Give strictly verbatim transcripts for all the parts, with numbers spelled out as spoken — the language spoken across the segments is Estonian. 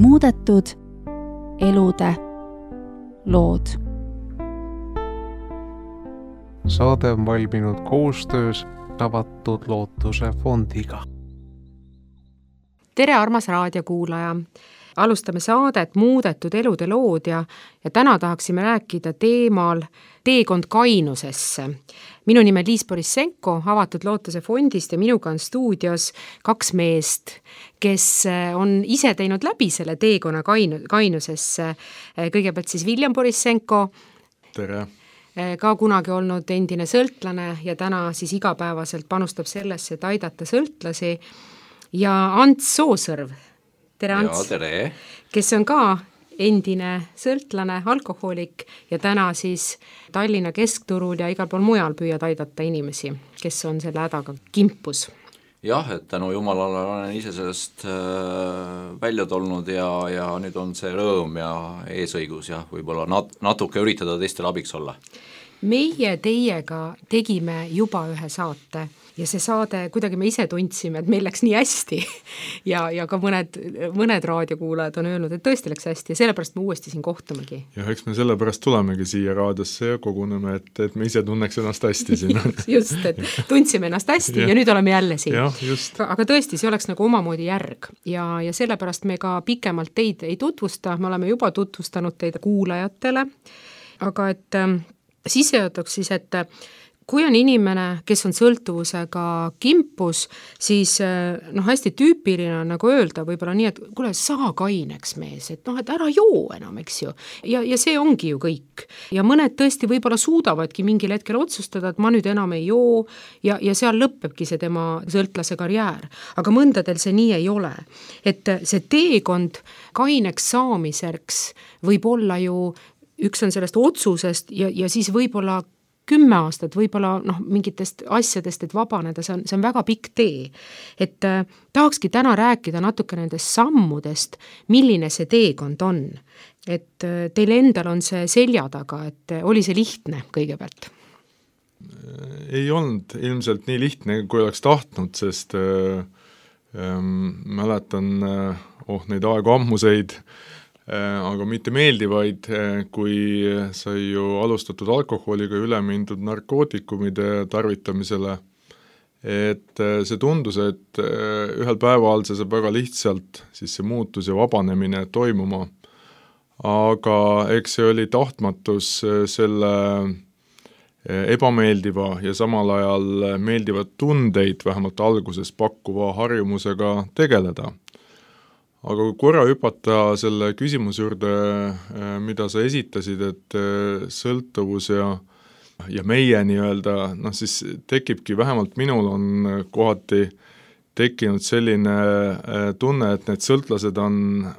muudetud elude lood. Saade on valminud koostöös Avatud Lootuse fondiga. Tere, armas raadiokuulaja! Alustame saadet Muudetud elude lood ja, ja täna tahaksime rääkida teemal teekond kainusesse. Minu nime Liis Borissenko Avatud Lootuse fondist ja minuga on stuudios kaks meest, kes on ise teinud läbi selle teekonna kainu, kainusesse. Kõigepealt siis William Borissenko. Tere! Ka kunagi olnud endine sõltlane ja täna siis igapäevaselt panustab sellesse, et aidata sõltlasi. Ja Ants Soosõrv. Tere, Ants. Ja, tere. Kes on ka endine sõltlane, alkohoolik ja täna siis Tallinna keskturul ja igal pool mujal püüad aidata inimesi, kes on selle hädaga kimpus. Jah, et tänu Jumalale olen ise sellest äh, välja tolnud ja, ja nüüd on see rõõm ja eesõigus ja võib-olla nat- natuke üritada teistele abiks olla. Meie teiega tegime juba ühe saate ja see saade, kuidagi me ise tundsime, et meil läks nii hästi ja, ja ka mõned, mõned raadiokuulajad on öelnud, et tõesti läks hästi ja sellepärast me uuesti siin kohtumegi. Ja eks me sellepärast tulemegi siia raadiosse ja koguneme, et, et me ise tunneks ennast hästi siin. Just, et tundsime ennast hästi ja, ja nüüd oleme jälle siin. Ja, just. Aga tõesti, see oleks nagu omamoodi järg ja, ja sellepärast me ka pikemalt teid ei tutvusta, me oleme juba tutvustanud teid kuulajatele, aga et äh, sissejutuks siis, et kui on inimene, kes on sõltuvusega kimpus, siis noh, hästi tüüpiline on nagu öelda võib-olla nii, et kuule, saa kaineks mees, et noh, et ära joo enam, eks ju. Ja, ja see ongi ju kõik. Ja mõned tõesti võib-olla suudavadki mingil hetkel otsustada, et ma nüüd enam ei joo ja, ja seal lõppebki see tema sõltlase karjäär. Aga mõndadel see nii ei ole. Et see teekond kaineks saamiseks võib olla ju, üks on sellest otsusest ja, ja siis võib-olla kümme aastat, võib-olla noh, mingitest asjadest, et vabaneda, see on, see on väga pikk tee. Et äh, tahakski täna rääkida natuke nendest sammudest, milline see teekond on. Et äh, teil endal on see selja taga, et äh, oli see lihtne kõigepealt? Ei olnud ilmselt nii lihtne, kui oleks tahtnud, sest äh, äh, mäletan äh, oh, neid aegu ammuseid, aga mitte meeldivaid, kui sai ju alustatud alkoholiga üle mindud narkootikumide tarvitamisele. Et see tundus, et ühel päeval see saab väga lihtsalt siis see muutus ja vabanemine toimuma. Aga eks see oli tahtmatus selle ebameeldiva ja samal ajal meeldivad tundeid vähemalt alguses pakkuva harjumusega tegeleda. Aga kui korra hüpata selle küsimuse juurde, mida sa esitasid, et sõltuvus ja, ja meie nii-öelda, noh siis tekibki, vähemalt minul on kohati tekkinud selline tunne, et need sõltlased on,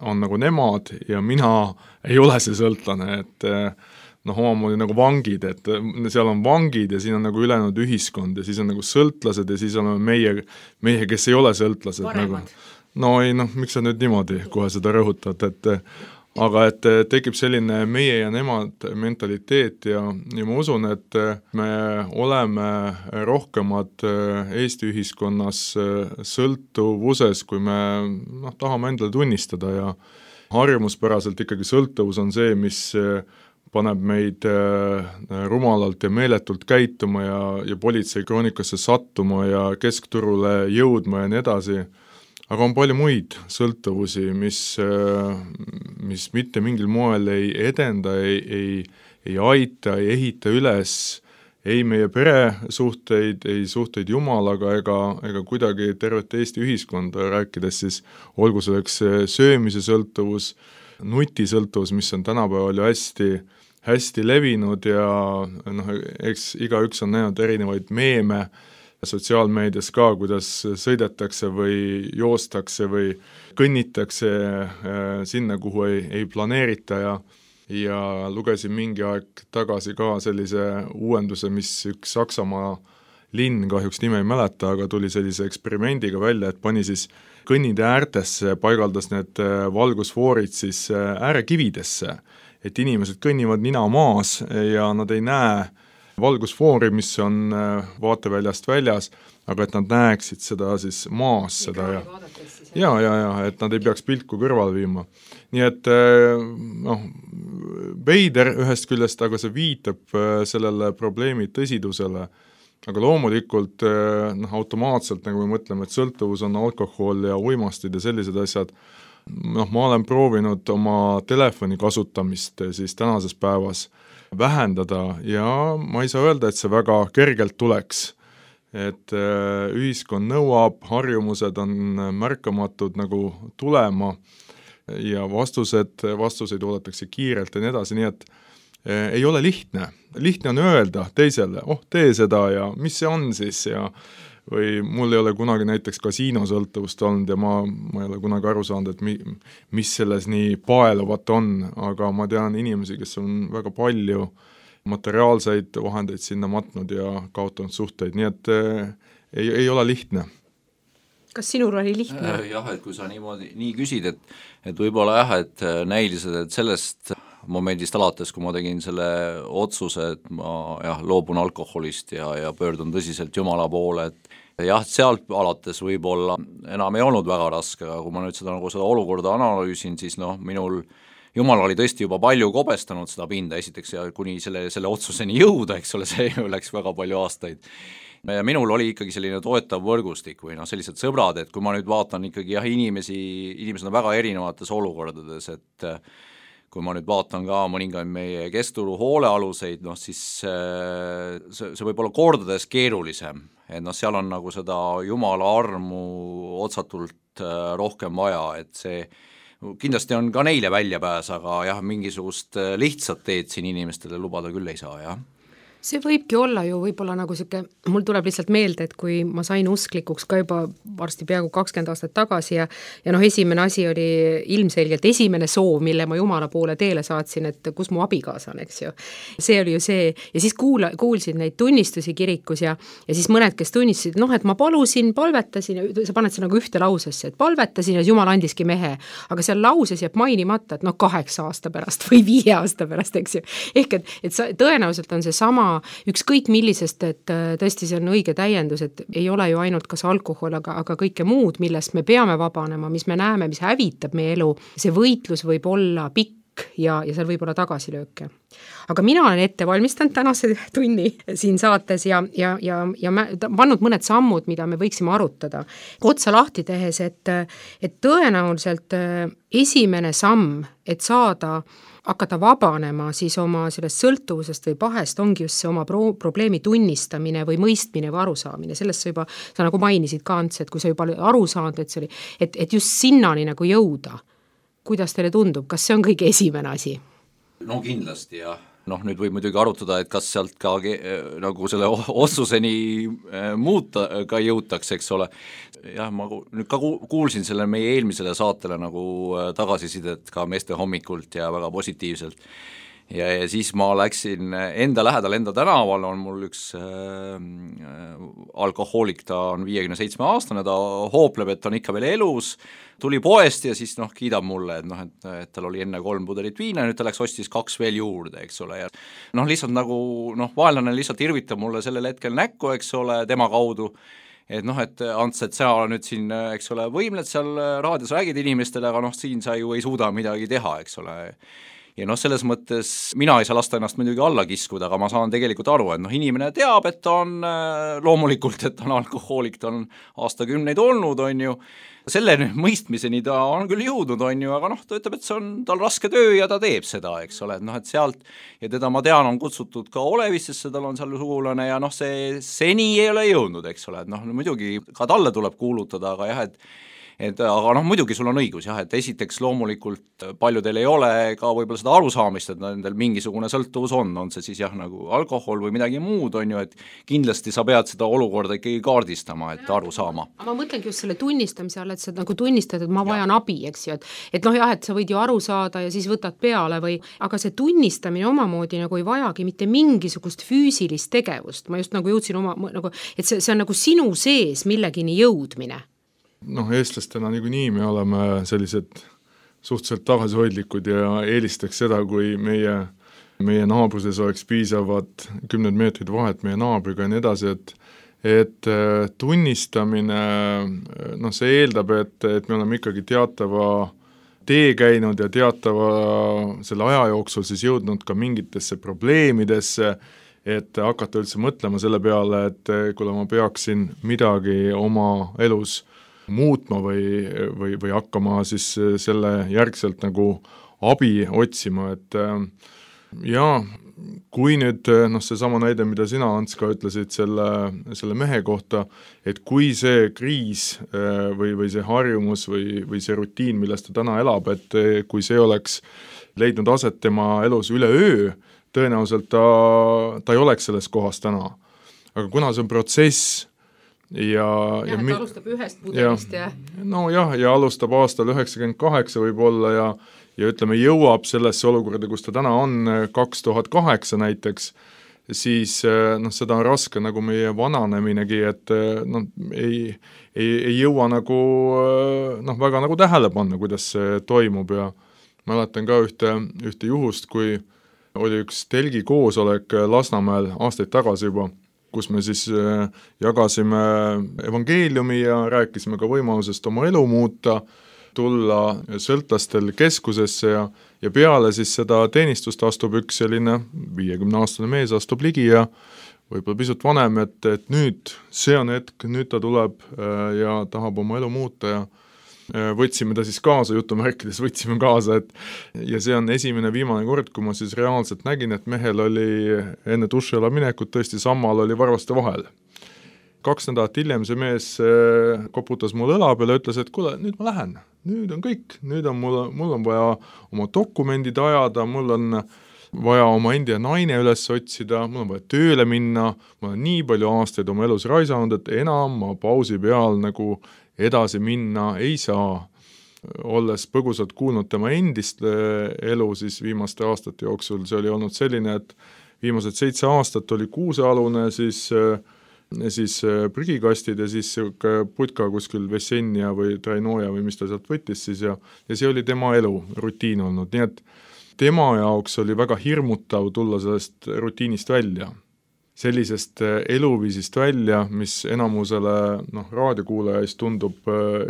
on nagu nemad ja mina ei ole see sõltlane, et noh, omamoodi nagu vangid, et seal on vangid ja siin on nagu ülejäänud ühiskond ja siis on nagu sõltlased ja siis oleme meie, meie kes ei ole sõltlased. Paremad. Nagu, no ei, noh, miks sa nüüd niimoodi kohe seda rõhutad, et aga et tekib selline meie ja nemad mentaliteet ja, ja ma usun, et me oleme rohkemad Eesti ühiskonnas sõltuvuses, kui me noh, tahame endale tunnistada ja harjumuspäraselt ikkagi sõltuvus on see, mis paneb meid rumalalt ja meeletult käituma ja, ja politsei kroonikasse sattuma ja keskturule jõudma ja nii edasi. Aga on palju muid sõltuvusi, mis, mis mitte mingil moel ei edenda, ei, ei, ei aita, ei ehita üles, ei meie peresuhteid, ei suhteid Jumalaga ega, ega kuidagi tervet Eesti ühiskonda rääkides siis olgu selleks söömise sõltuvus, nutisõltuvus, mis on tänapäeval ju hästi, hästi levinud ja noh, eks igaüks on näinud erinevaid meeme, sotsiaalmeedias ka, kuidas sõidetakse või joostakse või kõnnitakse sinna, kuhu ei, ei planeerita ja, ja lugesin mingi aeg tagasi ka sellise uuenduse, mis üks Saksamaa linn, kahjuks nime ei mäleta, aga tuli sellise eksperimendiga välja, et pani siis kõnnide äärtesse, paigaldas need valgusfoorid siis äärekividesse, et inimesed kõnnivad nina maas ja nad ei näe valgusfoori, mis on vaateväljast väljas, aga et nad näeksid seda siis maas seda ja ja, ja, ja, et nad ei peaks pilku kõrval viima. Nii et noh, veider ühest küljest, aga see viitab sellele probleemi tõsidusele, aga loomulikult noh, automaatselt, nagu me mõtleme, et sõltuvus on alkohol ja uimastid ja sellised asjad, noh, ma olen proovinud oma telefoni kasutamist siis tänases päevas vähendada ja ma ei saa öelda, et see väga kergelt tuleks. Et ühiskond nõuab, harjumused on märkamatud nagu tulema ja vastused, vastuseid oodatakse kiirelt ja nii edasi, nii et ei ole lihtne. Lihtne on öelda teisele, oh, tee seda ja mis see on siis ja või mul ei ole kunagi näiteks kasiinosõltuvust olnud ja ma, ma ei ole kunagi aru saanud, et mi, mis selles nii paeluvat on, aga ma tean inimesi, kes on väga palju materiaalseid vahendeid sinna matnud ja kaotanud suhteid, nii et äh, ei, ei ole lihtne. Kas sinul oli lihtne? Jah, et kui sa niimoodi nii küsid, et, et võib-olla jah, et näilised, et sellest momendist alates, kui ma tegin selle otsuse, et ma jah, loobun alkoholist ja, ja pöördun tõsiselt Jumala poole, et jah, sealt alates võib-olla enam ei olnud väga raske, aga kui ma nüüd seda, nagu seda olukorda analüüsin, siis noh, minul Jumal oli tõesti juba palju kobestanud seda pinda, esiteks ja kuni selle, selle otsuseni jõuda, eks ole, see läks väga palju aastaid. Ja minul oli ikkagi selline toetav võrgustik või noh, sellised sõbrad, et kui ma nüüd vaatan ikkagi jah, inimesi, inimesed on väga erinevates olukordades, et kui ma nüüd vaatan ka mõningaid meie kesturu hoolealuseid, noh siis see, see võib olla kordades keerulisem, et noh, seal on nagu seda Jumala armu otsatult rohkem vaja, et see kindlasti on ka neile väljapääs, aga jah, mingisugust lihtsat teed siin inimestele lubada küll ei saa, jah. See võibki olla ju võib-olla nagu siuke, mul tuleb lihtsalt meelde, et kui ma sain usklikuks ka juba varsti peaaegu kakskümmend aastat tagasi ja, ja noh, esimene asi oli ilmselgelt esimene soov, mille ma Jumala poole teele saatsin, et kus mu abikaasa on, eks ju. See oli ju see, ja siis kuula, kuulsid neid tunnistusi kirikus ja, ja siis mõned, kes tunnistasid, noh, et ma palusin, palvetasin ja sa paned see nagu ühte lausesse, et palvetasin ja Jumal andiski mehe, aga seal lauses jääb mainimata, et noh, kaheksa aasta pärast või viie aasta pärast, eks ju. Ehk et, et sa, tõenäoliselt on see sama ükskõik millisest, et tõesti see on õige täiendus, et ei ole ju ainult kas alkohol, aga, aga kõike muud, millest me peame vabanema, mis me näeme, mis hävitab meie elu, see võitlus võib olla pikk ja, ja seal võib olla tagasilööke. Aga mina olen ette valmistanud tänase tunni siin saates ja, ja, ja, ja pannud mõned sammud, mida me võiksime arutada. Otsa lahti tehes, et, et tõenäoliselt esimene samm, et saada hakata vabanema siis oma sellest sõltuvusest või pahest ongi just see oma pro- probleemi tunnistamine või mõistmine või arusaamine. Sellest sa juba, sa nagu mainisid ka, Ants, et kui sa juba aru saanud, et see oli, et, et just sinnani nagu jõuda. Kuidas teile tundub, kas see on kõige esimene asi? No kindlasti jah. Noh, nüüd võib muidugi arutada, et kas sealt ka nagu selle otsuseni muuta ka jõutakse, eks ole. Jah, ma nüüd ka kuulsin selle meie eelmisele saatele nagu tagasisidet ka meeste hommikult ja väga positiivselt. Ja, ja siis ma läksin enda lähedal, enda tänaval on mul üks äh, alkohoolik, ta on viiekümne seitsme aastane, ta hoopleb, et ta on ikka veel elus, tuli poest ja siis noh, kiidab mulle, et noh, et, et tal oli enne kolm pudelit viina, nüüd ta läks ostis kaks veel juurde, eks ole, ja noh, lihtsalt nagu noh, vaenlane lihtsalt irvitab mulle sellel hetkel näkku, eks ole, tema kaudu, et noh, et Ants, et sa nüüd siin, eks ole, võimled seal raadios räägid inimestele, aga noh, siin sa ju ei suuda midagi teha, eks ole. Ja noh, selles mõttes mina ei saa lasta ennast muidugi alla kiskuda, aga ma saan tegelikult aru, et noh, inimene teab, et ta on loomulikult, et ta on alkohoolik, ta on aastakümneid olnud, on ju, selle mõistmiseni ta on küll jõudnud, on ju, aga noh, ta ütleb, et see on tal raske töö ja ta teeb seda, eks ole, et noh, et sealt, ja teda ma tean, on kutsutud ka Olevistesse, tal on seal sugulane ja noh, see seni ei ole jõudnud, eks ole, et noh, muidugi ka talle tuleb kuulutada, aga jah, et et aga noh, muidugi sul on õigus jah, et esiteks loomulikult paljudel ei ole ka võib-olla seda arusaamist, et nendel mingisugune sõltuvus on, on see siis jah nagu alkohol või midagi muud, on ju, et kindlasti sa pead seda olukorda ikkagi kaardistama, et aru saama. Ma mõtlengi just selle tunnistamise all, et sa nagu tunnistad, et ma vajan ja. abi, eks ju, et, et noh jah, et sa võid ju aru saada ja siis võtad peale või, aga see tunnistamine omamoodi nagu ei vajagi mitte mingisugust füüsilist tegevust, ma just nagu jõudsin oma, nagu, et see, see on nagu sinu sees millegini jõudmine. Noh, eestlastena niikuinii me oleme sellised suhteliselt tagasihoidlikud ja eelistaks seda, kui meie, meie naabruses oleks piisavad kümned meetrid vahet meie naabriga ja nii edasi, et, et tunnistamine, noh, see eeldab, et, et me oleme ikkagi teatava tee käinud ja teatava selle aja jooksul siis jõudnud ka mingitesse probleemidesse, et hakata üldse mõtlema selle peale, et kui ma peaksin midagi oma elus muutma või, või, või hakkama siis selle järgselt nagu abi otsima, et jaa, kui nüüd noh, seesama näide, mida sina, Ants, ka ütlesid selle, selle mehe kohta, et kui see kriis või, või see harjumus või, või see rutiin, milles ta täna elab, et kui see oleks leidnud aset tema elus üle öö, tõenäoliselt ta, ta ei oleks selles kohas täna. Aga kuna see on protsess ja, ja, ja ta alustab ühest pudelist ja, ja... no jah, ja alustab aastal üheksakümmend kaheksa võib-olla ja ja ütleme, jõuab sellesse olukorda, kus ta täna on kaks tuhat kaheksa näiteks, siis noh, seda on raske nagu meie vananeminegi, et noh, ei, ei, ei jõua nagu noh, väga nagu tähele panna, kuidas see toimub ja mäletan ka ühte, ühte juhust, kui oli üks telgi koosolek Lasnamäel aastaid tagasi juba, kus me siis jagasime evangeeliumi ja rääkisime ka võimalusest oma elu muuta, tulla sõltlastel keskusesse ja, ja peale siis seda teenistust astub üks selline viiekümne aastane mees astub ligi ja võib-olla pisut vanem, et, et nüüd see on hetk, nüüd ta tuleb ja tahab oma elu muuta ja võtsime ta siis kaasa, jutumärkides võtsime kaasa, et ja see on esimene viimane kord, kui ma siis reaalselt nägin, et mehel oli enne dušiala minekut tõesti sammal oli varvaste vahel. Kaks nädalat hiljem see mees koputas mul õla peale ja ütles, et kuule, nüüd ma lähen, nüüd on kõik, nüüd on mul, mul on vaja oma dokumendid ajada, mul on vaja oma enda naine üles otsida, mul on vaja tööle minna, ma olen nii palju aastaid oma elus raisanud, et enam ma pausi peal nagu edasi minna ei saa. Olles põgusalt kuulnud tema endist elu siis viimaste aastate jooksul, see oli olnud selline, et viimased seitse aastat oli kuusealune, siis siis prügikastid ja siis putka kuskil Vessenja või Trainoja või mis ta sealt võttis siis ja, ja see oli tema elu, rutiin olnud, nii et tema jaoks oli väga hirmutav tulla sellest rutiinist välja, sellisest eluviisist välja, mis enamusele noh, raadiokuulajaist tundub,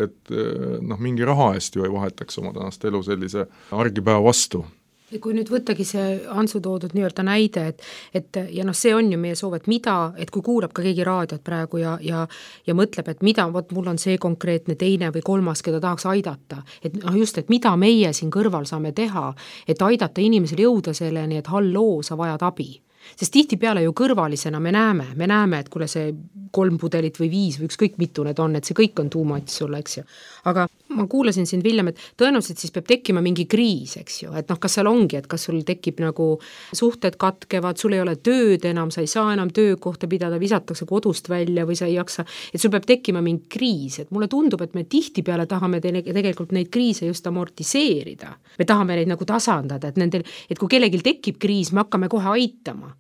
et noh, mingi raha eest ju ei vahetaks oma tänast elu sellise argipäeva vastu. Ja kui nüüd võttagi see Antsu toodud nii-öelda näide, et, et ja noh, see on ju meie soov, et mida, et kui kuulab ka keegi raadiot praegu ja, ja, ja mõtleb, et mida, vot mul on see konkreetne teine või kolmas, keda tahaks aidata, et noh just, et mida meie siin kõrval saame teha, et aidata inimesel jõuda selleni, et halloo, sa vajad abi. Sest tihtipeale ju kõrvalisena me näeme, me näeme, et kuule see kolm pudelit või viis või ükskõik mitu need on, et see kõik on too much sulle, eks ju. Aga ma kuulasin siin, Viljem, et tõenäoliselt siis peab tekkima mingi kriis, eks ju, et noh, kas seal ongi, et kas sul tekib nagu suhted katkevad, sul ei ole tööd enam, sa ei saa enam töökohta pidada, visatakse kodust välja või sa ei jaksa, et sul peab tekkima mingi kriis, et mulle tundub, et me tihtipeale tahame te- tegelikult neid kriise just amortiseerida. Me tahame neid nagu tasandada, et nendel, et kui kellelgi tekib kriis, me hakkame kohe aitama.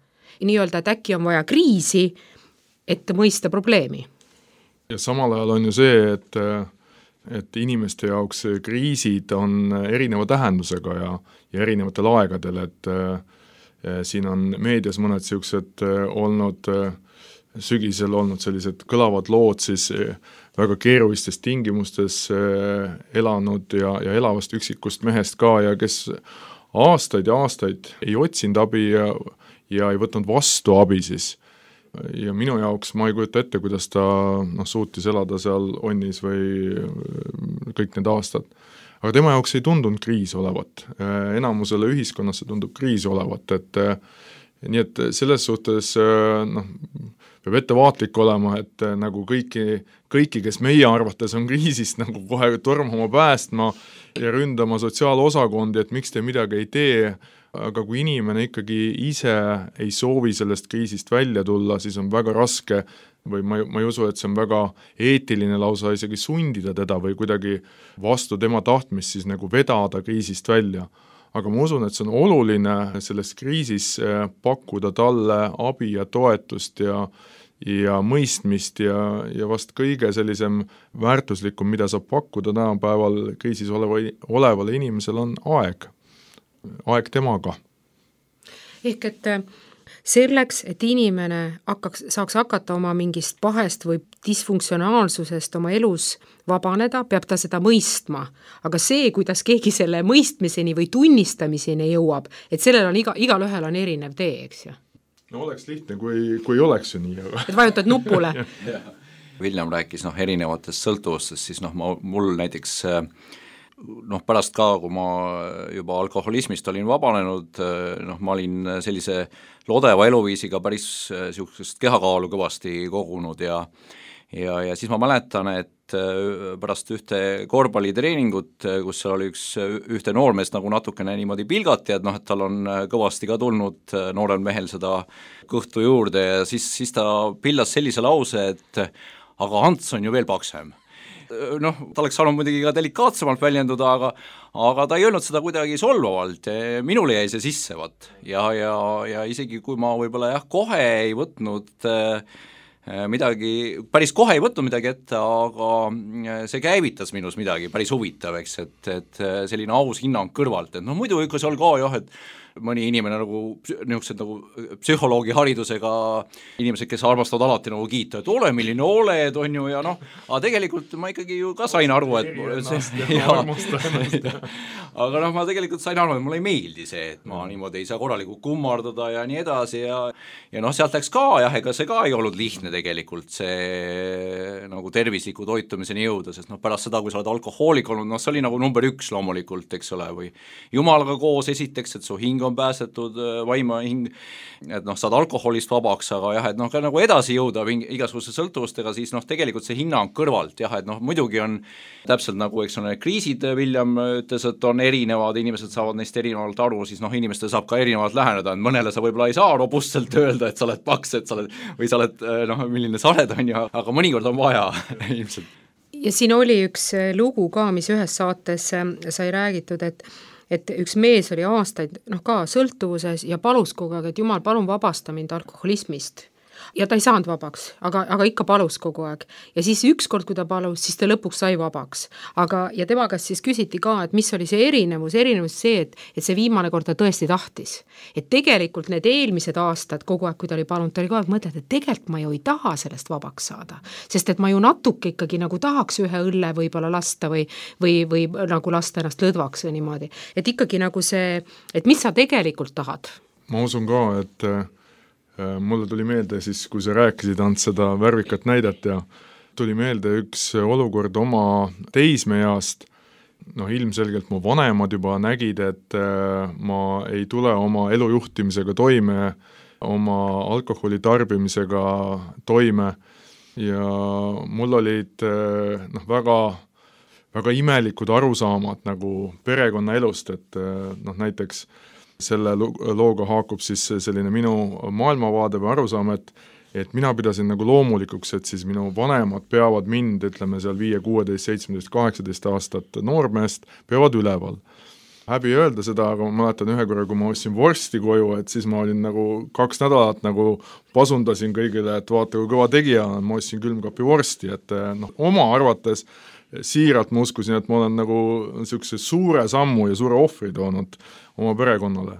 Nii-öelda, et äkki on vaja kriisi, et mõista probleemi. Ja samal ajal on ju see, et, et inimeste jaoks kriisid on erineva tähendusega ja, ja erinevatel aegadel, et eh, siin on meedias mõned siuksed olnud, sügisel olnud sellised kõlavad lood siis väga keerulistes tingimustes eh, elanud ja, ja elavast üksikust mehest ka ja kes aastaid ja aastaid ei otsinud abi ja ja ei võtnud vastu abi siis. Ja minu jaoks ma ei kujuta ette, kuidas ta noh, suutis elada seal onnis või kõik need aastad. Aga tema jaoks ei tundunud kriis olevat. Enamusele ühiskonnas see tundub kriis olevat, et nii et selles suhtes noh, peab ettevaatlik olema, et nagu kõiki, kõiki, kes meie arvates on kriisist nagu kohe tormama päästma ja ründama sotsiaalosakondi, et miks te midagi ei tee, aga kui inimene ikkagi ise ei soovi sellest kriisist välja tulla, siis on väga raske või ma, ma ei usu, et see on väga eetiline lausa isegi sundida teda või kuidagi vastu tema tahtmist siis nagu vedada kriisist välja. Aga ma usun, et see on oluline selles kriisis pakkuda talle abi ja toetust ja, ja mõistmist ja, ja vast kõige sellisem väärtuslikum, mida saab pakkuda tänapäeval kriisis oleva, olevale inimesel on aeg. aeg temaga. Ehk et selleks, et inimene hakkaks, saaks hakata oma mingist pahest või disfunktsionaalsusest oma elus vabaneda, peab ta seda mõistma. Aga see, kuidas keegi selle mõistmiseni või tunnistamiseni jõuab, et sellel on iga, igal ühel on erinev tee, eks ju. No oleks lihtne, kui, kui oleks ju nii. Aga... et vajutad nupule. William rääkis noh, erinevatest sõltuvustest, siis noh, ma, mul näiteks noh, pärast ka, kui ma juba alkoholismist olin vabanenud, noh, ma olin sellise lodeva eluviisiga päris niisugust kehakaalu kõvasti kogunud ja ja, ja siis ma mäletan, et pärast ühte korvpallitreeningut, kus seal oli üks, ühte noormeest nagu natukene niimoodi pilgati, et noh, et tal on kõvasti ka tulnud noorel mehel seda kõhtu juurde ja siis, siis ta pillas sellise lause, et aga Ants on ju veel paksem. Noh, ta oleks saanud muidugi ka delikaatsemalt väljenduda, aga aga ta ei öelnud seda kuidagi solvavalt, minule jäi see sisse, vat. Ja, ja, ja isegi kui ma võib-olla jah, kohe ei võtnud midagi, päris kohe ei võtnud midagi ette, aga see käivitas minus midagi päris huvitav, eks, et, et selline aus hinnang kõrvalt, et noh, muidu ikka seal ka jah, et mõni inimene nagu, niisugused nagu psühholoogi haridusega inimesed, kes armastavad alati nagu kiita, et ole milline oled, on ju, ja noh, aga tegelikult ma ikkagi ju ka sain aru, et see, ja, aga noh, ma tegelikult sain aru, et mulle ei meeldi see, et ma niimoodi ei saa korralikult kummardada ja nii edasi ja ja noh, sealt läks ka jah, ega see ka ei olnud lihtne tegelikult see nagu tervisliku toitumiseni jõuda, sest noh, pärast seda, kui sa oled alkohoolik olnud, noh, see oli nagu number üks loomulikult, eks ole, või jumalaga koos esiteks, et su hing on päästetud, vaima hing, et noh, saad alkoholist vabaks, aga jah, et noh, ka nagu edasi jõuda igasuguse sõltuvustega, siis noh, tegelikult see hinnang kõrvalt, jah, et noh, muidugi on täpselt nagu, eks on need kriisid, William ütles, et on erinevad, inimesed saavad neist erinevalt aru, siis noh, inimestel saab ka erinevalt läheneda, et mõnele sa võib-olla ei saa robustselt öelda, et sa oled paks, et sa oled, või sa oled, noh, milline sa oled, on ju, aga mõnikord on vaja ilmselt. Ja siin oli üks lugu ka, mis ühes saates sai räägitud, et et üks mees oli aastaid noh, ka sõltuvuses ja palus kogu aeg, et jumal, palun vabasta mind alkoholismist. Ja ta ei saanud vabaks, aga, aga ikka palus kogu aeg. Ja siis ükskord, kui ta palus, siis ta lõpuks sai vabaks. Aga, ja tema käest siis küsiti ka, et mis oli see erinevus, erinevus see, et, et see viimane kord ta tõesti tahtis. Et tegelikult need eelmised aastad kogu aeg, kui ta oli palunud, ta oli kogu aeg mõtled, et tegelikult ma ju ei taha sellest vabaks saada. Sest et ma ju natuke ikkagi nagu tahaks ühe õlle võib-olla lasta või, või, või nagu lasta ennast lõdvaks või niimoodi. Et ikkagi nagu see, et mis sa tegelikult tahad? Ma usun ka, et mulle tuli meelde siis, kui sa rääkisid Ants seda värvikat näidet ja tuli meelde üks olukord oma teismeeast, noh ilmselgelt mu vanemad juba nägid, et ma ei tule oma elujuhtimisega toime, oma alkoholi tarbimisega toime ja mul olid noh, väga, väga imelikud arusaamad nagu perekonna elust, et noh näiteks selle looga haakub siis selline minu maailmavaade või arusaam, et, et mina pidasin nagu loomulikuks, et siis minu vanemad peavad mind, ütleme seal viie, kuueteist, seitsmeteist, kaheksateist aastat noormeest, peavad üleval. Häbi öelda seda, aga ma mäletan ühe korra, kui ma ostsin vorsti koju, et siis ma olin nagu kaks nädalat nagu pasundasin kõigile, et vaata, kui kõva tegija on, ma ostsin külmkapi vorsti, et noh, oma arvates siiralt ma uskusin, et ma olen nagu niisuguse suure sammu ja suure ohvri toonud oma perekonnale.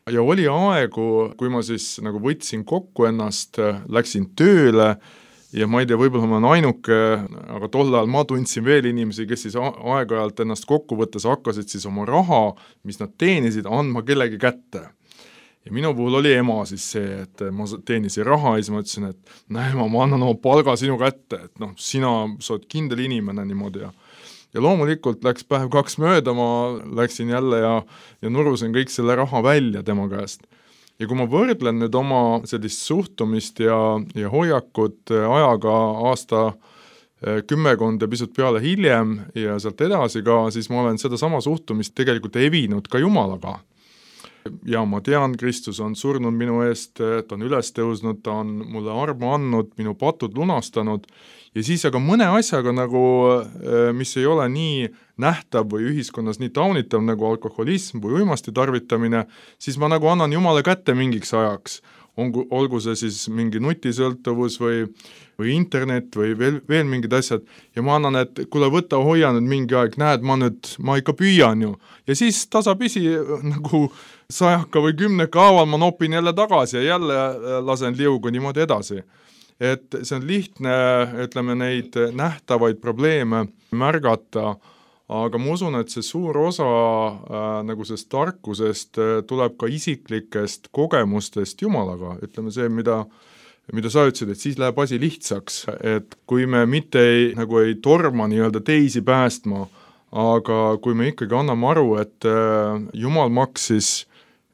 Ja oli aegu, kui ma siis nagu võtsin kokku ennast, läksin tööle ja ma ei tea, võib-olla ma olen ainuke, aga tol ajal ma tundsin veel inimesi, kes siis aeg-ajalt ennast kokku võttes hakkasid siis oma raha, mis nad teenisid, andma kellegi kätte. Ja minu puhul oli ema siis see, et ma teenisin raha ja siis ma ütlesin, et näe, ma annan oma palga sinu kätte, et noh, sina, sa oled kindel inimene niimoodi ja ja loomulikult läks päev kaks mööda, ma läksin jälle ja, ja nurusin kõik selle raha välja tema käest. Ja kui ma võrdlen nüüd oma sellist suhtumist ja, ja hoiakut ajaga aasta kümmekond ja pisut peale hiljem ja sealt edasi ka, siis ma olen seda sama suhtumist tegelikult evinud ka Jumalaga. Ja ma tean, Kristus on surnud minu eest, ta on üles tõusnud, ta on mulle armu andnud, minu patud lunastanud ja siis aga mõne asjaga nagu, mis ei ole nii nähtav või ühiskonnas nii taunitav nagu alkoholism või uimasti tarvitamine, siis ma nagu annan Jumala kätte mingiks ajaks ongu, olgu see siis mingi nutisõltuvus või, või internet või veel, veel mingid asjad ja ma annan, et kuule võta, hoia nüüd mingi aeg, näed, ma nüüd, ma ikka püüan ju ja siis tasapisi nagu sajaka või kümneka haaval ma nopin jälle tagasi ja jälle lasen liugu niimoodi edasi. Et see on lihtne, ütleme, neid nähtavaid probleeme märgata, aga ma usun, et see suur osa äh, nagu sellest tarkusest äh, tuleb ka isiklikest kogemustest Jumalaga, ütleme see, mida, mida sa ütlesid, et siis läheb asi lihtsaks, et kui me mitte ei, nagu ei torma nii-öelda teisi päästma, aga kui me ikkagi anname aru, et äh, Jumal maksis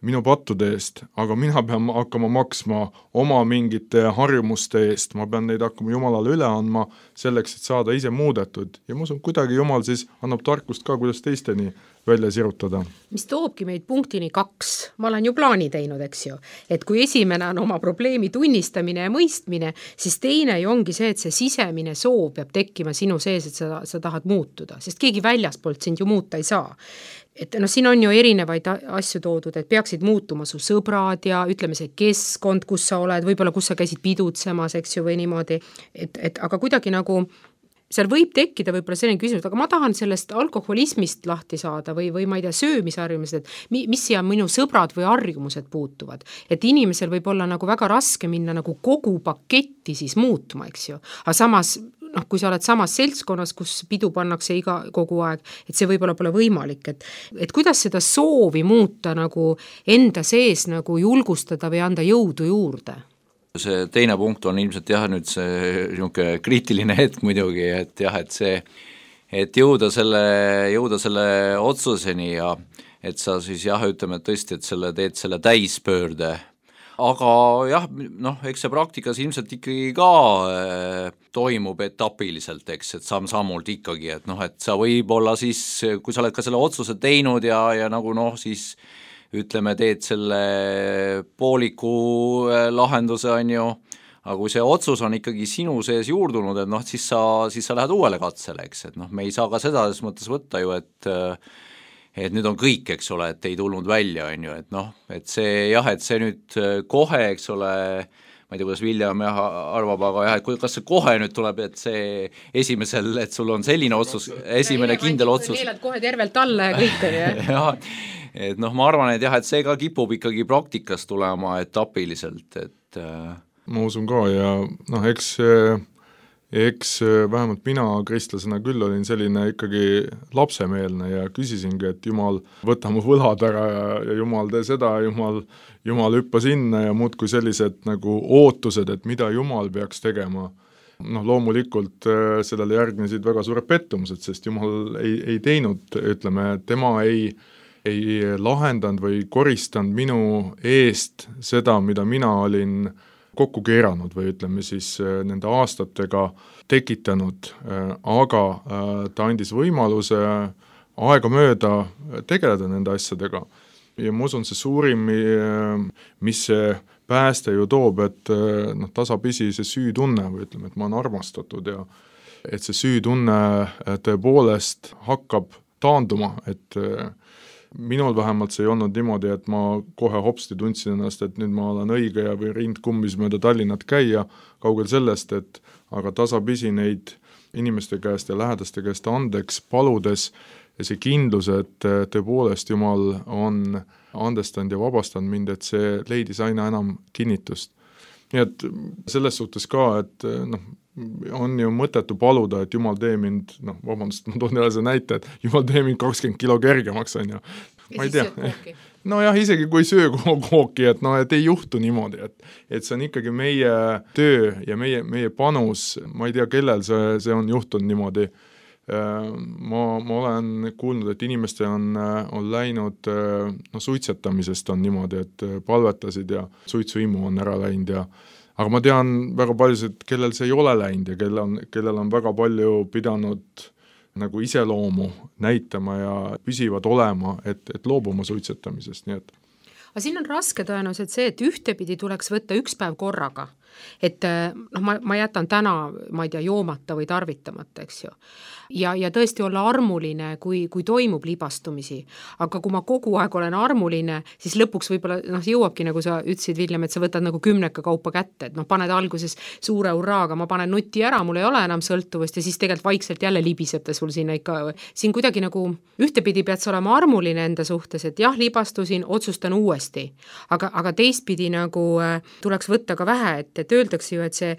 minu pattude eest, aga mina pean hakkama maksma oma mingite harjumuste eest, ma pean neid hakkama Jumalale üle andma selleks, et saada ise muudetud ja ma usun, kuidagi Jumal siis annab tarkust ka, kuidas teisteni välja sirutada. Mis toobki meid punktini kaks, ma olen ju plaani teinud, eks ju, et kui esimene on oma probleemi tunnistamine ja mõistmine, siis teine ju ongi see, et see sisemine soov peab tekkima sinu sees, et sa, sa tahad muutuda, sest keegi väljaspoolt sind ju muuta ei saa. Et no siin on ju erinevaid asju toodud, et peaksid muutuma su sõbrad ja ütleme see keskkond, kus sa oled, võib-olla kus sa käisid pidutsemas, eks ju, või niimoodi, et, et aga kuidagi nagu seal võib tekkida võib-olla selline küsimus, aga ma tahan sellest alkoholismist lahti saada või, või ma ei tea, söömisharjumused, et mis siia minu sõbrad või harjumused puutuvad. Et inimesel võib olla nagu väga raske minna nagu kogu paketti siis muutuma, eks ju. Aga samas, noh, kui sa oled samas seltskonnas, kus pidu pannakse iga, kogu aeg, et see võib-olla pole võimalik, et, et kuidas seda soovi muuta nagu enda sees nagu julgustada või anda jõudu juurde? See teine punkt on ilmselt jah, nüüd see niisugune kriitiline hetk muidugi, et jah, et see, et jõuda selle, jõuda selle otsuseni ja et sa siis jah, ütleme, et tõesti, et selle teed selle täispöörde. Aga jah, noh, eks see praktikas ilmselt ikkagi ka äh, toimub etapiliselt, eks, et samm-sammult ikkagi, et noh, et sa võib-olla siis, kui sa oled ka selle otsuse teinud ja, ja nagu noh, siis ütleme, teed selle pooliku lahenduse, on ju, aga kui see otsus on ikkagi sinu sees juurdunud, et noh, siis sa, siis sa lähed uuele katsele, eks, et noh, me ei saa ka seda selles mõttes võtta ju, et et nüüd on kõik, eks ole, et ei tulnud välja, on ju, et noh, et see jah, et see nüüd kohe, eks ole, ma ei tea, kuidas William jah, arvab, aga jah, et kas see kohe nüüd tuleb, et see esimesel, et sul on selline otsus, esimene kindel otsus. Neelad kohe tervelt alla ja kõik on, jah. jah, et noh, ma arvan, et jah, et see ka kipub ikkagi praktikas tulema etapiliselt, et ma usun ka ja noh, eks, eks vähemalt mina kristlasena küll olin selline ikkagi lapsemeelne ja küsisingi, et Jumal, võta mu võlad ära ja, ja Jumal tee seda, Jumal, Jumal hüppa sinna ja muudkui sellised nagu ootused, et mida Jumal peaks tegema. Noh, loomulikult sellele järgnesid väga suured pettumused, sest Jumal ei, ei teinud, ütleme, tema ei ei lahendanud või koristanud minu eest seda, mida mina olin kokku keeranud või ütleme siis nende aastatega tekitanud, aga ta andis võimaluse aega mööda tegeleda nende asjadega. Ja ma usun, see suurim, mis see pääste ju toob, et noh, tasapisi see süütunne või ütleme, et ma olen armastatud ja et see süütunne tõepoolest hakkab taanduma, et minul vähemalt see ei olnud niimoodi, et ma kohe hopsti tundsin ennast, et nüüd ma olen õige ja või rind kummis mööda Tallinnat käia, kaugel sellest, et aga tasapisi neid inimeste käest ja lähedaste käest andeks paludes ja see kindlus, et tõepoolest Jumal on andestanud ja vabastanud mind, et see leidis aina enam kinnitust. Nii et selles suhtes ka, et noh, on ju mõtetu paluda, et Jumal tee mind, noh, vabandust, ma toon jälle see näite, et Jumal tee mind kakskümmend kilo kergemaks, on ju. Ma ei tea. No jah, isegi kui söö kooki, et noh, et ei juhtu niimoodi, et, et see on ikkagi meie töö ja meie, meie panus, ma ei tea, kellel see, see on juhtunud niimoodi. Ma, ma olen kuulnud, et inimestel on, on läinud, no suitsetamisest on niimoodi, et palvetasid ja suitsuimu on ära läinud ja aga ma tean väga paljusid, kellel see ei ole läinud ja kellel on, kellel on väga palju pidanud nagu iseloomu näitama ja püsivad olema, et, et loobuma suitsetamisest, nii et aga siin on raske tõenäoliselt see, et ühtepidi tuleks võtta üks päev korraga. et noh, ma, ma jätan täna, ma ei tea, joomata või tarvitamata, eks ju. Ja, ja tõesti olla armuline, kui, kui toimub libastumisi, aga kui ma kogu aeg olen armuline, siis lõpuks võib-olla noh, jõuabki, nagu sa ütlesid, Viljem, et sa võtad nagu kümneka kaupa kätte, et noh, paned alguses suure urraaga, ma panen nuti ära, mul ei ole enam sõltuvust ja siis tegelikult vaikselt jälle libiseb ta sul sinna ikka, siin kuidagi nagu ühtepidi pead sa olema armuline enda suhtes, et jah, libastusin, otsustan uuesti, aga, aga teistpidi nagu tuleks võtta ka vähe, et, et öeldakse ju, et see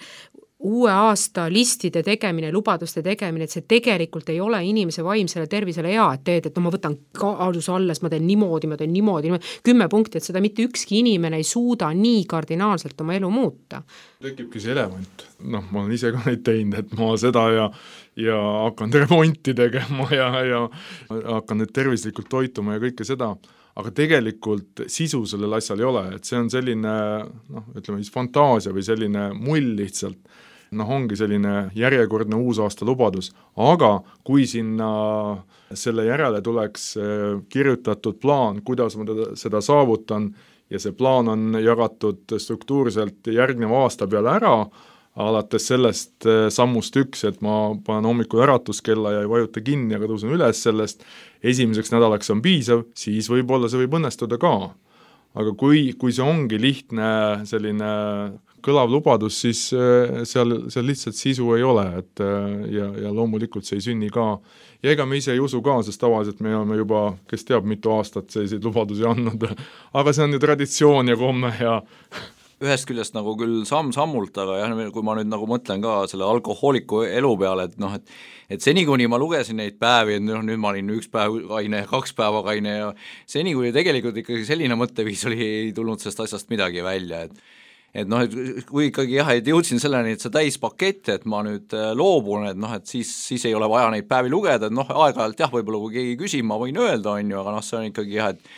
uue aasta listide tegemine, lubaduste tegemine, et see tegelikult ei ole inimese vaimsele tervisele hea, et teed, et no ma võtan kaaluse alles, ma teen niimoodi, ma teen niimoodi, niimoodi, kümme punkti, et seda mitte ükski inimene ei suuda nii kardinaalselt oma elu muuta. Tekibki see elevant. Noh, ma olen ise ka neid teinud, et ma seda ja, ja hakkan remonti tegema ja, ja hakkan nüüd tervislikult toituma ja kõike seda, aga tegelikult sisu sellel asjal ei ole, et see on selline, noh, ütleme siis fantaasia või selline mull lihtsalt, noh, ongi selline järjekordne uusaasta lubadus, aga kui sinna selle järele tuleks kirjutatud plaan, kuidas ma teda, seda saavutan ja see plaan on jagatud struktuurselt järgneva aasta peale ära, alates sellest sammust üks, et ma panen hommikul äratuskella ja ei vajuta kinni, aga tõusen üles sellest, esimeseks nädalaks on piisav, siis võib-olla see võib õnnestuda ka. Aga kui, kui see ongi lihtne selline kõlav lubadus, siis seal, seal lihtsalt sisu ei ole, et ja, ja loomulikult see ei sünni ka. Ja ega me ise ei usu ka, sest tavaliselt me oleme juba, kes teab, mitu aastat selliseid lubadusi andnud, aga see on ju traditsioon ja komme ja ühest küljest nagu küll samm-sammult, aga jah, kui ma nüüd nagu mõtlen ka selle alkohooliku elu peale, et noh, et et seni, kuni ma lugesin neid päevi, et noh, nüüd ma olin üks päev kaine, kaks päeva kaine ja seni, kui tegelikult ikkagi selline mõtteviis oli, ei tulnud sellest asjast midagi välja, et et noh, et kui ikkagi jah, et jõudsin selleni, et see täispakett, et ma nüüd loobun, et noh, et siis, siis ei ole vaja neid päevi lugeda, et noh, aeg-ajalt jah, võib-olla kui keegi küsib, ma võin öelda, on ju, aga noh, see on ikkagi jah, et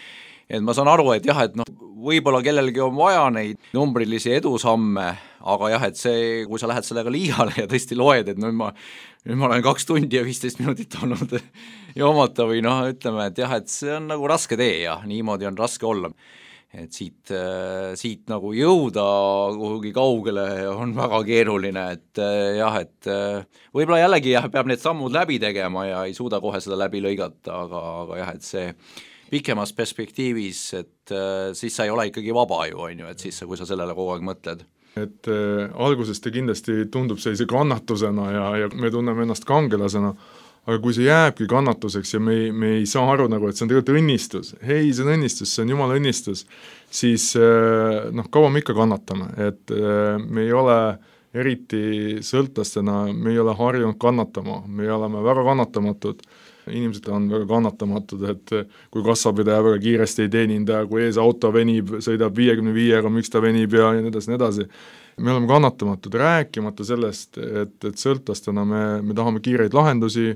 et ma saan aru, et jah, et noh, võib-olla kellelgi on vaja neid numbrilisi edusamme, aga jah, et see, kui sa lähed sellega liiale ja tõesti loed, et nüüd ma, nüüd ma olen kaks tundi ja viisteist minutit olnud joomata või noh, ütleme, et jah, et see on nagu raske tee ja niimoodi on raske olla. Et siit, siit nagu jõuda kuhugi kaugele on väga keeruline, et jah, et võib-olla jällegi jah, peab need sammud läbi tegema ja ei suuda kohe seda läbi lõigata, aga, aga jah, et see pikemas perspektiivis, et äh, siis sa ei ole ikkagi vaba ju, on ju, et siis, kui sa sellele kogu aeg mõtled. Et äh, alguses ta kindlasti tundub sellise kannatusena ja, ja me tunneme ennast kangelasena, aga kui see jääbki kannatuseks ja me ei, me ei saa aru nagu, et see on tegelikult õnnistus, hei, see on õnnistus, see on jumala õnnistus, siis äh, noh, kaua me ikka kannatame, et äh, me ei ole eriti sõltlastena, me ei ole harjunud kannatama, me oleme väga kannatamatud, inimesed on väga kannatamatud, et kui kassapidaja väga kiiresti ei teeninda, kui ees auto venib, sõidab viiekümne viiega, miks ta venib ja nii edasi, nii edasi. Me oleme kannatamatud, rääkimata sellest, et, et sõltlastena me, me tahame kiireid lahendusi,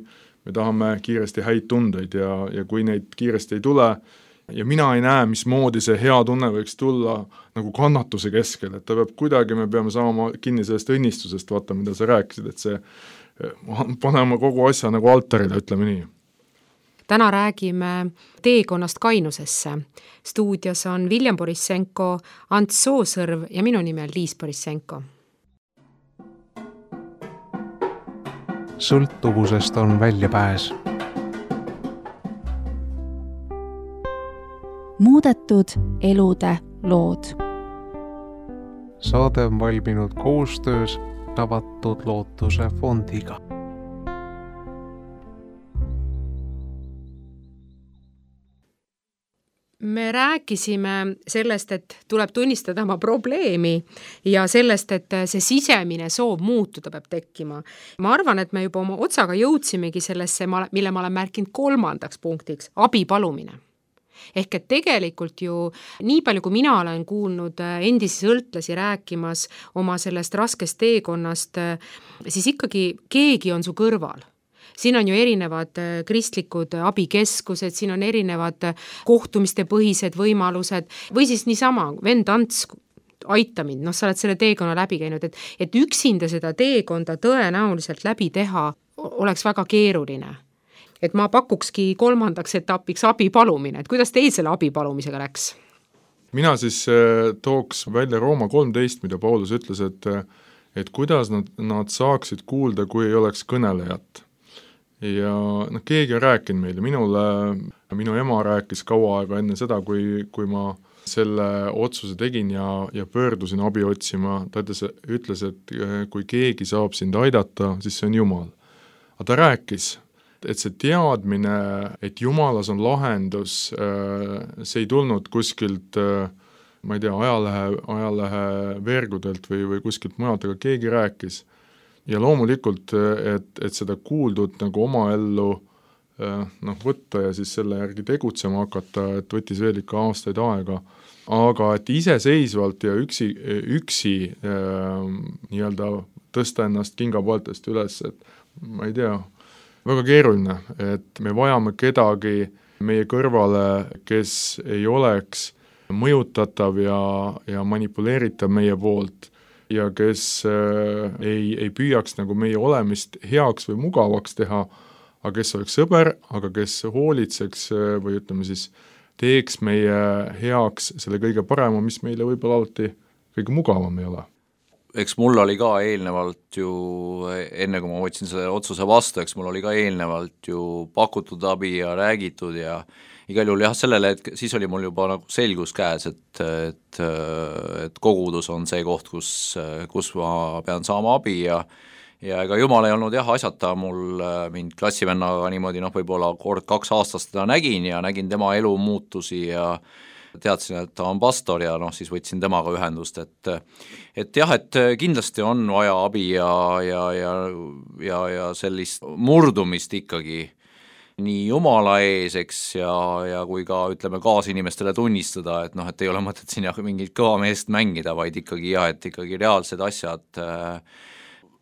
me tahame kiiresti häid tundeid ja, ja kui neid kiiresti ei tule, ja mina ei näe, mismoodi see hea tunne võiks tulla nagu kannatuse keskel, et ta peab kuidagi, me peame saama kinni sellest õnnistusest, vaata, mida sa rääkisid, et see paneme kogu asja nagu altarile, ütleme nii. Täna räägime teekonnast kainusesse. Stuudios on Viljem Borissenko, Ants Soosõrv ja minu nimi on Liis Borissenko. Sõltuvusest on väljapääs. Muudetud elude lood. Saade on valminud koostöös Avatud Lootuse fondiga. Me rääkisime sellest, et tuleb tunnistada oma probleemi ja sellest, et see sisemine soov muutuda peab tekkima. Ma arvan, et me juba oma otsaga jõudsimegi sellesse, mille ma olen märkinud kolmandaks punktiks, abi palumine. Ehk et tegelikult ju nii palju, kui mina olen kuulnud endisi sõltlasi rääkimas oma sellest raskest teekonnast, siis ikkagi keegi on su kõrval. Siin on ju erinevad kristlikud abikeskused, siin on erinevad kohtumiste põhised võimalused või siis niisama, vend Ants, aita mind, noh, sa oled selle teekonna läbi käinud, et, et üksinda seda teekonda tõenäoliselt läbi teha oleks väga keeruline. Et ma pakukski kolmandaks etapiks abi palumine, et kuidas teil selle abi palumisega läks? mina siis tooks välja Rooma kolmteist, mida Paulus ütles, et, et kuidas nad, nad saaksid kuulda, kui ei oleks kõnelejat. Ja noh, keegi on rääkinud meile, minule, minu ema rääkis kaua aega enne seda, kui, kui ma selle otsuse tegin ja, ja pöördusin abi otsima, ta ütles, ütles, et kui keegi saab sind aidata, siis see on Jumal. Aga ta rääkis, et see teadmine, et Jumalas on lahendus, see ei tulnud kuskilt, ma ei tea, ajalehe, ajalehe vergudelt või, või kuskilt mujalt, aga keegi rääkis. Ja loomulikult, et, et seda kuuldud nagu oma ellu noh, võtta ja siis selle järgi tegutsema hakata, et võttis veel ikka aastaid aega, aga et iseseisvalt ja üksi, üksi äh, nii-öelda tõsta ennast kingapooltest üles, et ma ei tea, väga keeruline, et me vajame kedagi meie kõrvale, kes ei oleks mõjutatav ja, ja manipuleeritav meie poolt ja kes äh, ei, ei püüaks nagu meie olemist heaks või mugavaks teha, aga kes oleks sõber, aga kes hoolitseks või ütleme siis, teeks meie heaks selle kõige parema, mis meile võib-olla alati kõige mugavam ei ole. Eks mul oli ka eelnevalt ju, enne kui ma võtsin selle otsuse vastu, eks mul oli ka eelnevalt ju pakutud abi ja räägitud ja igal juhul jah, sellele, et siis oli mul juba nagu selgus käes, et, et, et kogudus on see koht, kus, kus ma pean saama abi ja ja ega Jumal ei olnud jah asjata mul mind klassivennaga niimoodi noh, võib-olla kord kaks aastast teda nägin ja nägin tema elu muutusi ja teadsin, et ta on pastor ja noh, siis võtsin temaga ühendust, et et jah, et kindlasti on vaja abi ja, ja, ja, ja, ja sellist murdumist ikkagi nii Jumala ees, eks, ja, ja kui ka ütleme kaasinimestele tunnistada, et noh, et ei ole mõtet siin jah mingit kõva meest mängida, vaid ikkagi jah, et ikkagi reaalsed asjad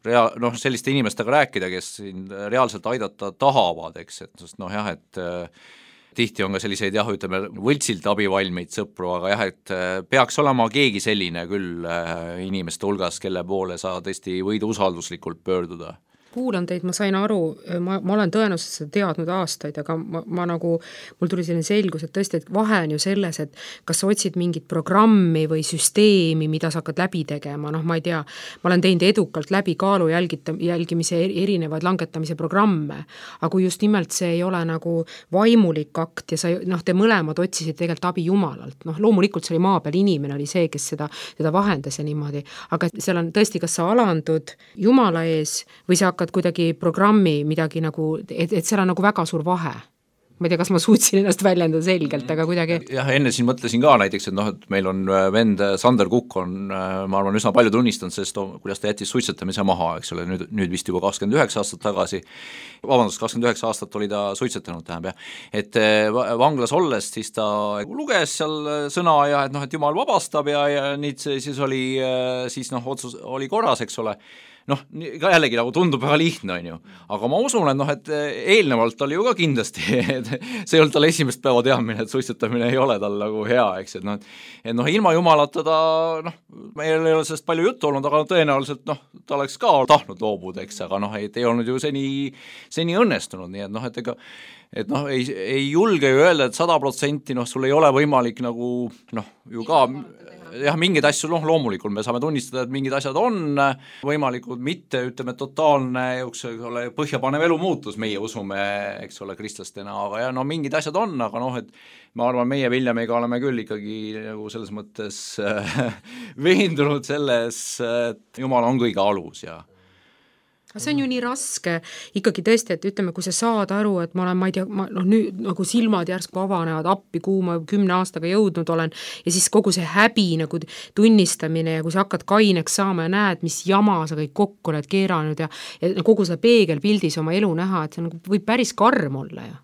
Rea-, noh, selliste inimestega rääkida, kes siin reaalselt aidata tahavad, eks, et sest noh jah, et äh, tihti on ka selliseid jah, ütleme võltsilt abivalmeid sõpru, aga jah, et äh, peaks olema keegi selline küll äh, inimeste hulgas, kelle poole sa tõesti võid usalduslikult pöörduda. Kuulan teid, ma sain aru, ma, ma olen tõenäoliselt seda teadnud aastaid, aga ma, ma nagu, mul tuli selline selgus, et tõesti, et vahe on ju selles, et kas sa otsid mingit programmi või süsteemi, mida sa hakkad läbi tegema, noh ma ei tea, ma olen teinud edukalt läbi kaalu jälgita, jälgimise erinevaid langetamise programme, aga kui just nimelt see ei ole nagu vaimulik akt ja sa, noh, te mõlemad otsisid tegelikult abi Jumalalt, noh loomulikult see oli maa peal inimene, oli see, kes seda, seda vahendas ja niimoodi, aga seal on tõesti, kas sa alandud Jumala ees või sa hakkad kuidagi programmi midagi nagu, et, et seal on nagu väga suur vahe. Ma ei tea, kas ma suutsin ennast väljendada selgelt, aga kuidagi... Jah, enne siin mõtlesin ka näiteks, et noh, et meil on vend Sander Kukk on, ma arvan, üsna palju tunnistanud sellest, kuidas ta jättis suitsetamise maha, eks ole, nüüd, nüüd vist juba kakskümmend üheksa aastat tagasi, vabandust, kakskümmend üheksa aastat oli ta suitsetanud, tähendab jah, et vanglas olles siis ta luges seal sõna ja et noh, et Jumal vabastab ja, ja nüüd siis oli, siis noh, otsus oli korras, eks ole, noh, ka jällegi nagu tundub väga lihtne, on ju. Aga ma usun, et noh, et eelnevalt oli ju ka kindlasti, et see ei olnud tal esimest päeva teadmine, et suitsetamine ei ole tal nagu hea, eks, et noh, et noh, ilma Jumalata ta, noh, meil ei ole sellest palju juttu olnud, aga tõenäoliselt, noh, ta oleks ka tahtnud loobuda, eks, aga noh, et ei olnud ju seni, seni õnnestunud, nii et noh, et ega et noh, ei, ei julge ju öelda, et sada protsenti, noh, sul ei ole võimalik nagu, noh, ju ka jah, mingeid asju, noh, loomulikult me saame tunnistada, et mingid asjad on võimalikud, mitte, ütleme, totaalne ole, põhjapanev elu muutus, meie usume, eks ole, kristlastena, aga ja no mingid asjad on, aga noh, et ma arvan, meie Viljamiga oleme küll ikkagi nagu selles mõttes veendunud selles, et Jumal on kõige alus ja see on ju nii raske ikkagi tõesti, et ütleme, kui sa saad aru, et ma olen, ma ei tea, ma, noh, nüüd nagu silmad järsku avanevad appi, kuhu ma kümne aastaga jõudnud olen ja siis kogu see häbi nagu tunnistamine ja kui sa hakkad kaineks saama ja näed, mis jama sa kõik kokku oled keeranud ja, ja kogu seda peegelpildis oma elu näha, et see nagu võib päris karm olla ja.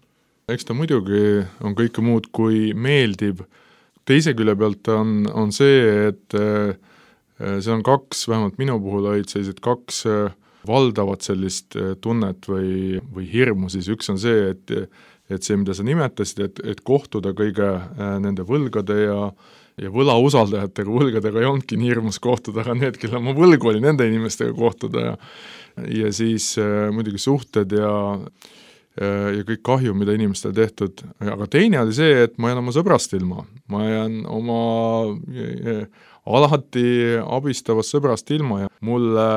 Eks ta muidugi on kõike muud kui meeldib. Teise külje pealt on, on see, et see on kaks, vähemalt minu puhul olid sellised kaks valdavat sellist tunnet või, või hirmu, siis üks on see, et, et see, mida sa nimetasid, et, et kohtuda kõige nende võlgade ja, ja võlausaldajatega, võlgadega ei olnudki nii hirmus kohtuda, aga need, kelle ma võlgu oli, nende inimestega kohtuda ja, ja siis muidugi suhted ja ja kõik kahju, mida inimestel tehtud, aga teine oli see, et ma jään oma sõbrast ilma, ma jään oma alati abistavast sõbrast ilma ja mulle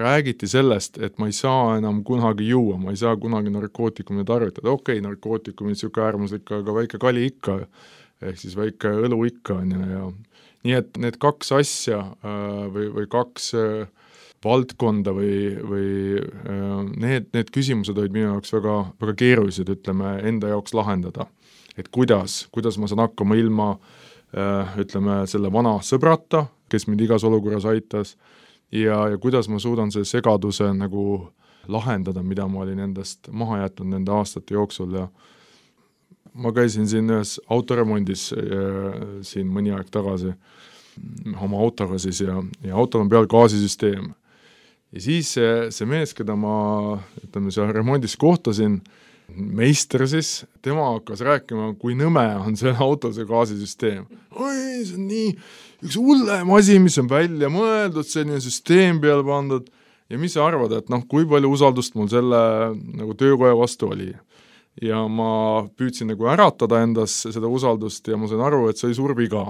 räägiti sellest, et ma ei saa enam kunagi juua, ma ei saa kunagi narkootikumid tarvitada, okei okay,, narkootikumid, siuke äärmuslik, aga väike kali ikka, ehk siis väike õlu ikka on ja, ja nii et need kaks asja või, või kaks valdkonda või, või need, need küsimused olid minu jaoks väga, väga keerulised, ütleme, enda jaoks lahendada. Et kuidas, kuidas ma saan hakkama ilma, ütleme, selle vana sõbrata, kes mind igas olukorras aitas, ja, ja kuidas ma suudan selle segaduse nagu lahendada, mida ma olin endast maha jätnud nende aastate jooksul ja ma käisin siin ühes autoremondis ja, siin mõni aeg tagasi oma autoga siis ja, ja autol on peal gaasisüsteem. Ja siis see, see mees, keda ma ütleme, seal remondis kohtasin, meister siis, tema hakkas rääkima, kui nõme on see auto, see gaasisüsteem. Oi, see on nii üks hullem asi, mis on välja mõeldud, selline süsteem peale pandud ja mis sa arvad, et noh, kui palju usaldust mul selle nagu töökoja vastu oli. Ja ma püüdsin nagu äratada endas seda usaldust ja ma sain aru, et see oli suur viga.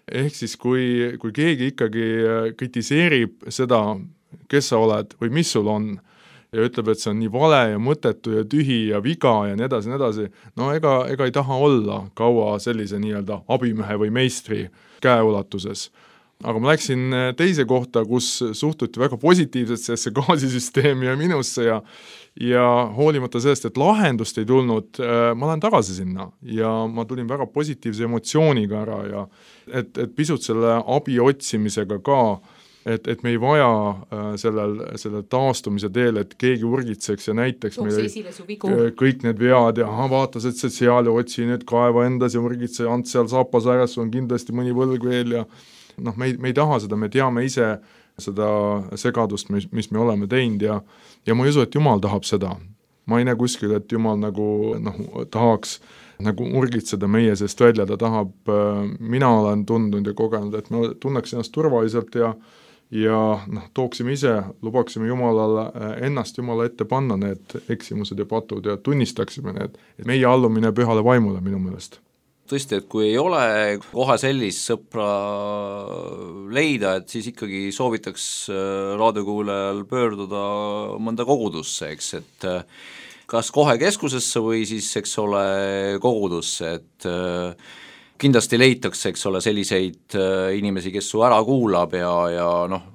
Ehk siis, kui, kui keegi ikkagi kritiseerib seda, kes sa oled või mis sul on, ja ütleb, et see on nii vale ja mõttetu ja tühi ja viga ja nii edasi, nii edasi, no ega, ega ei taha olla kaua sellise nii-öelda abimehe või meistri käeulatuses. Aga ma läksin teise kohta, kus suhtuti väga positiivselt sellesse gaasisüsteemi ja minusse ja, ja hoolimata sellest, et lahendust ei tulnud, ma lähen tagasi sinna ja ma tulin väga positiivse emotsiooniga ära ja et, et pisut selle abi otsimisega ka, et, et me ei vaja sellel, sellel taastumise teel, et keegi urgitseks ja näiteks meile kõik need vead ja aha, vaatas, et see seal ja otsi nüüd kaeva endas ja urgitse, ants seal saapas äres, on kindlasti mõni võlg veel ja noh, me ei, me ei taha seda, me teame ise seda segadust, mis, mis me oleme teinud ja, ja ma ei usu, et Jumal tahab seda. Ma ei näe kuskil, et Jumal nagu noh, tahaks nagu urgitseda meie seest välja, ta tahab, mina olen tundnud ja kogenud, et me tunneks ennast turvaliselt ja ja noh, tooksime ise, lubaksime Jumalale ennast Jumala ette panna need eksimused ja patud ja tunnistaksime need, et meie allumine pühale vaimule minu meelest. Tõesti, et kui ei ole kohe sellist sõpra leida, et siis ikkagi soovitaks raadiokuulajal pöörduda mõnda kogudusse, eks, et kas kohe keskusesse või siis, eks ole, kogudusse, et kindlasti leitakse, eks ole, selliseid inimesi, kes su ära kuulab ja, ja noh,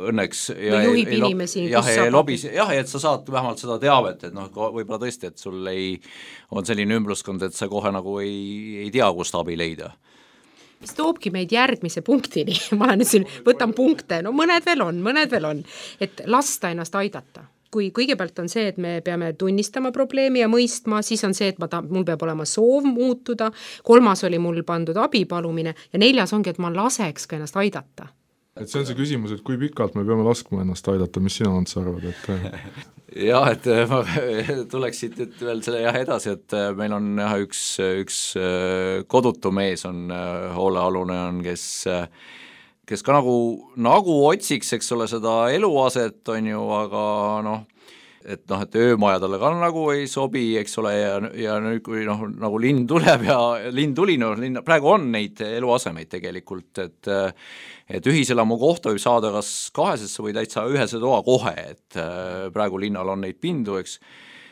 õnneks ja no juhib ei, inimesi, jah, kus saab lobis, jah, et sa saad vähemalt seda teavet, et noh, võib-olla tõesti, et sul ei, on selline ümbruskond, et sa kohe nagu ei, ei tea, kust abi leida. Mis toobki meid järgmise punktini, ma olen siin, võtan punkte, no mõned veel on, mõned veel on, et lasta ennast aidata. Kui kõigepealt on see, et me peame tunnistama probleemi ja mõistma, siis on see, et ma ta, mul peab olema soov muutuda, kolmas oli mul pandud abipalumine ja neljas ongi, et ma laseks ka ennast aidata. Et see on see küsimus, et kui pikalt me peame laskma ennast aidata, mis sina Ants arvad? Et... jah, et ma tuleksid nüüd veel selle jah edasi, et meil on jah, üks, üks kodutu mees on hoolealune on, kes kes ka nagu, nagu otsiks, eks ole, seda eluaset, on ju, aga noh, et noh, et öömaja talle ka nagu ei sobi, eks ole, ja, ja nüüd kui noh, nagu linn tuleb ja linn tuli, no linn, praegu on neid eluasemeid tegelikult, et et ühiselamu kohta võib saada kas kahesesse või täitsa ühese toa kohe, et praegu linnal on neid pindu, eks,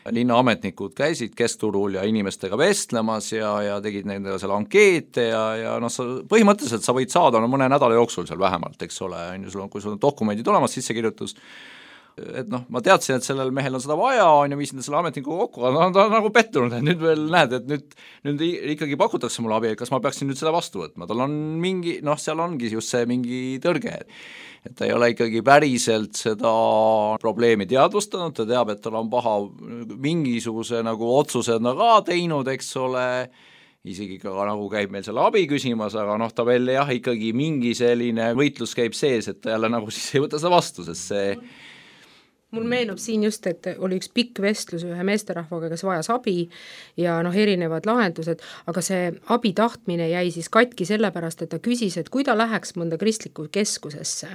linnaametnikud käisid keskturul ja inimestega vestlemas ja, ja tegid nendele seal ankeete ja, ja noh, sa põhimõtteliselt sa võid saada no, mõne nädala jooksul seal vähemalt, eks ole, on ju, sul on, kui sul on dokumendid olemas, sissekirjutus, et noh, ma teadsin, et sellel mehel on seda vaja, on ju, viisin selle ametniku kokku, aga ta on nagu pettunud, et nüüd veel näed, et nüüd, nüüd ikkagi pakutakse mulle abi, et kas ma peaksin nüüd seda vastu võtma, tal on mingi, noh, seal ongi just see mingi tõrge, et ta ei ole ikkagi päriselt seda probleemi teadvustanud, ta teab, et tal on paha mingisuguse nagu otsuse no ka teinud, eks ole, isegi ka nagu käib meil selle abi küsimas, aga noh, ta veel jah, ikkagi mingi selline võitlus käib sees, et ta jälle nagu siis ei võta seda vastu, sest see mul meenub siin just, et oli üks pikk vestlus ühe meesterahvaga, kes vajas abi ja noh, erinevad lahendused, aga see abi tahtmine jäi siis katki sellepärast, et ta küsis, et kui ta läheks mõnda kristlikku keskusesse,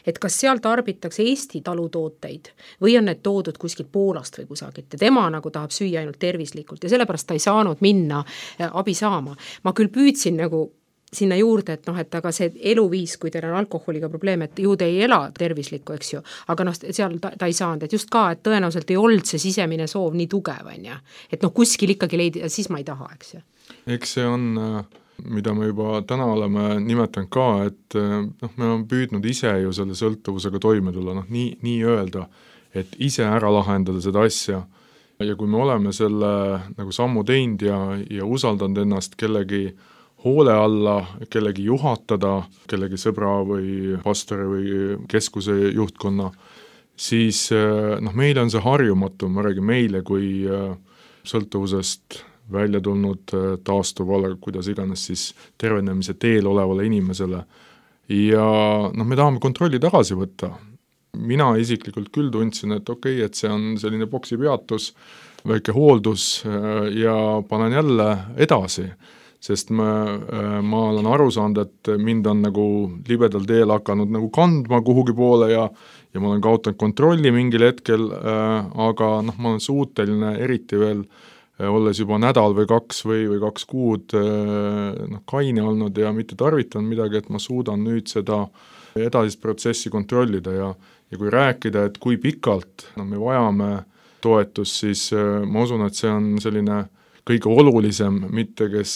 et kas seal tarbitakse Eesti talutooteid või on need toodud kuskilt Poolast või kusagilt ja tema nagu tahab süüa ainult tervislikult ja sellepärast ta ei saanud minna abi saama. Ma küll püüdsin nagu sinna juurde, et noh, et aga see eluviis, kui teil on alkoholiga probleem, et ju te ei ela tervislikku, eks ju, aga noh, seal ta, ta ei saanud, et just ka, et tõenäoliselt ei olnud see sisemine soov nii tugev, on ja et noh, kuskil ikkagi leidi, siis ma ei taha, eks ju. Eks see on, mida me juba täna oleme nimetanud ka, et noh, me oleme püüdnud ise ju selle sõltuvusega toime tulla, noh, nii, nii öelda, et ise ära lahendada seda asja ja kui me oleme selle nagu sammu teinud ja, ja usaldanud ennast kellegi hoole alla, kellegi juhatada, kellegi sõbra või pastori või keskuse juhtkonna, siis noh, meile on see harjumatu, ma räägin meile kui sõltuvusest välja tulnud taastuvale, kuidas iganes siis tervenemise teel olevale inimesele. Ja noh, me tahame kontrolli tagasi võtta. Mina isiklikult küll tundsin, et okei, okay, et see on selline boksi peatus, väike hooldus ja panen jälle edasi. Sest ma, ma olen aru saanud, et mind on nagu libedal teel hakanud nagu kandma kuhugi poole ja, ja ma olen kaotanud kontrolli mingil hetkel, aga noh, ma olen suuteline eriti veel, olles juba nädal või kaks või, või kaks kuud noh, kaine olnud ja mitte tarvitanud midagi, et ma suudan nüüd seda edasist protsessi kontrollida ja, ja kui rääkida, et kui pikalt no, me vajame toetust, siis ma usun, et see on selline kõige olulisem, mitte kes,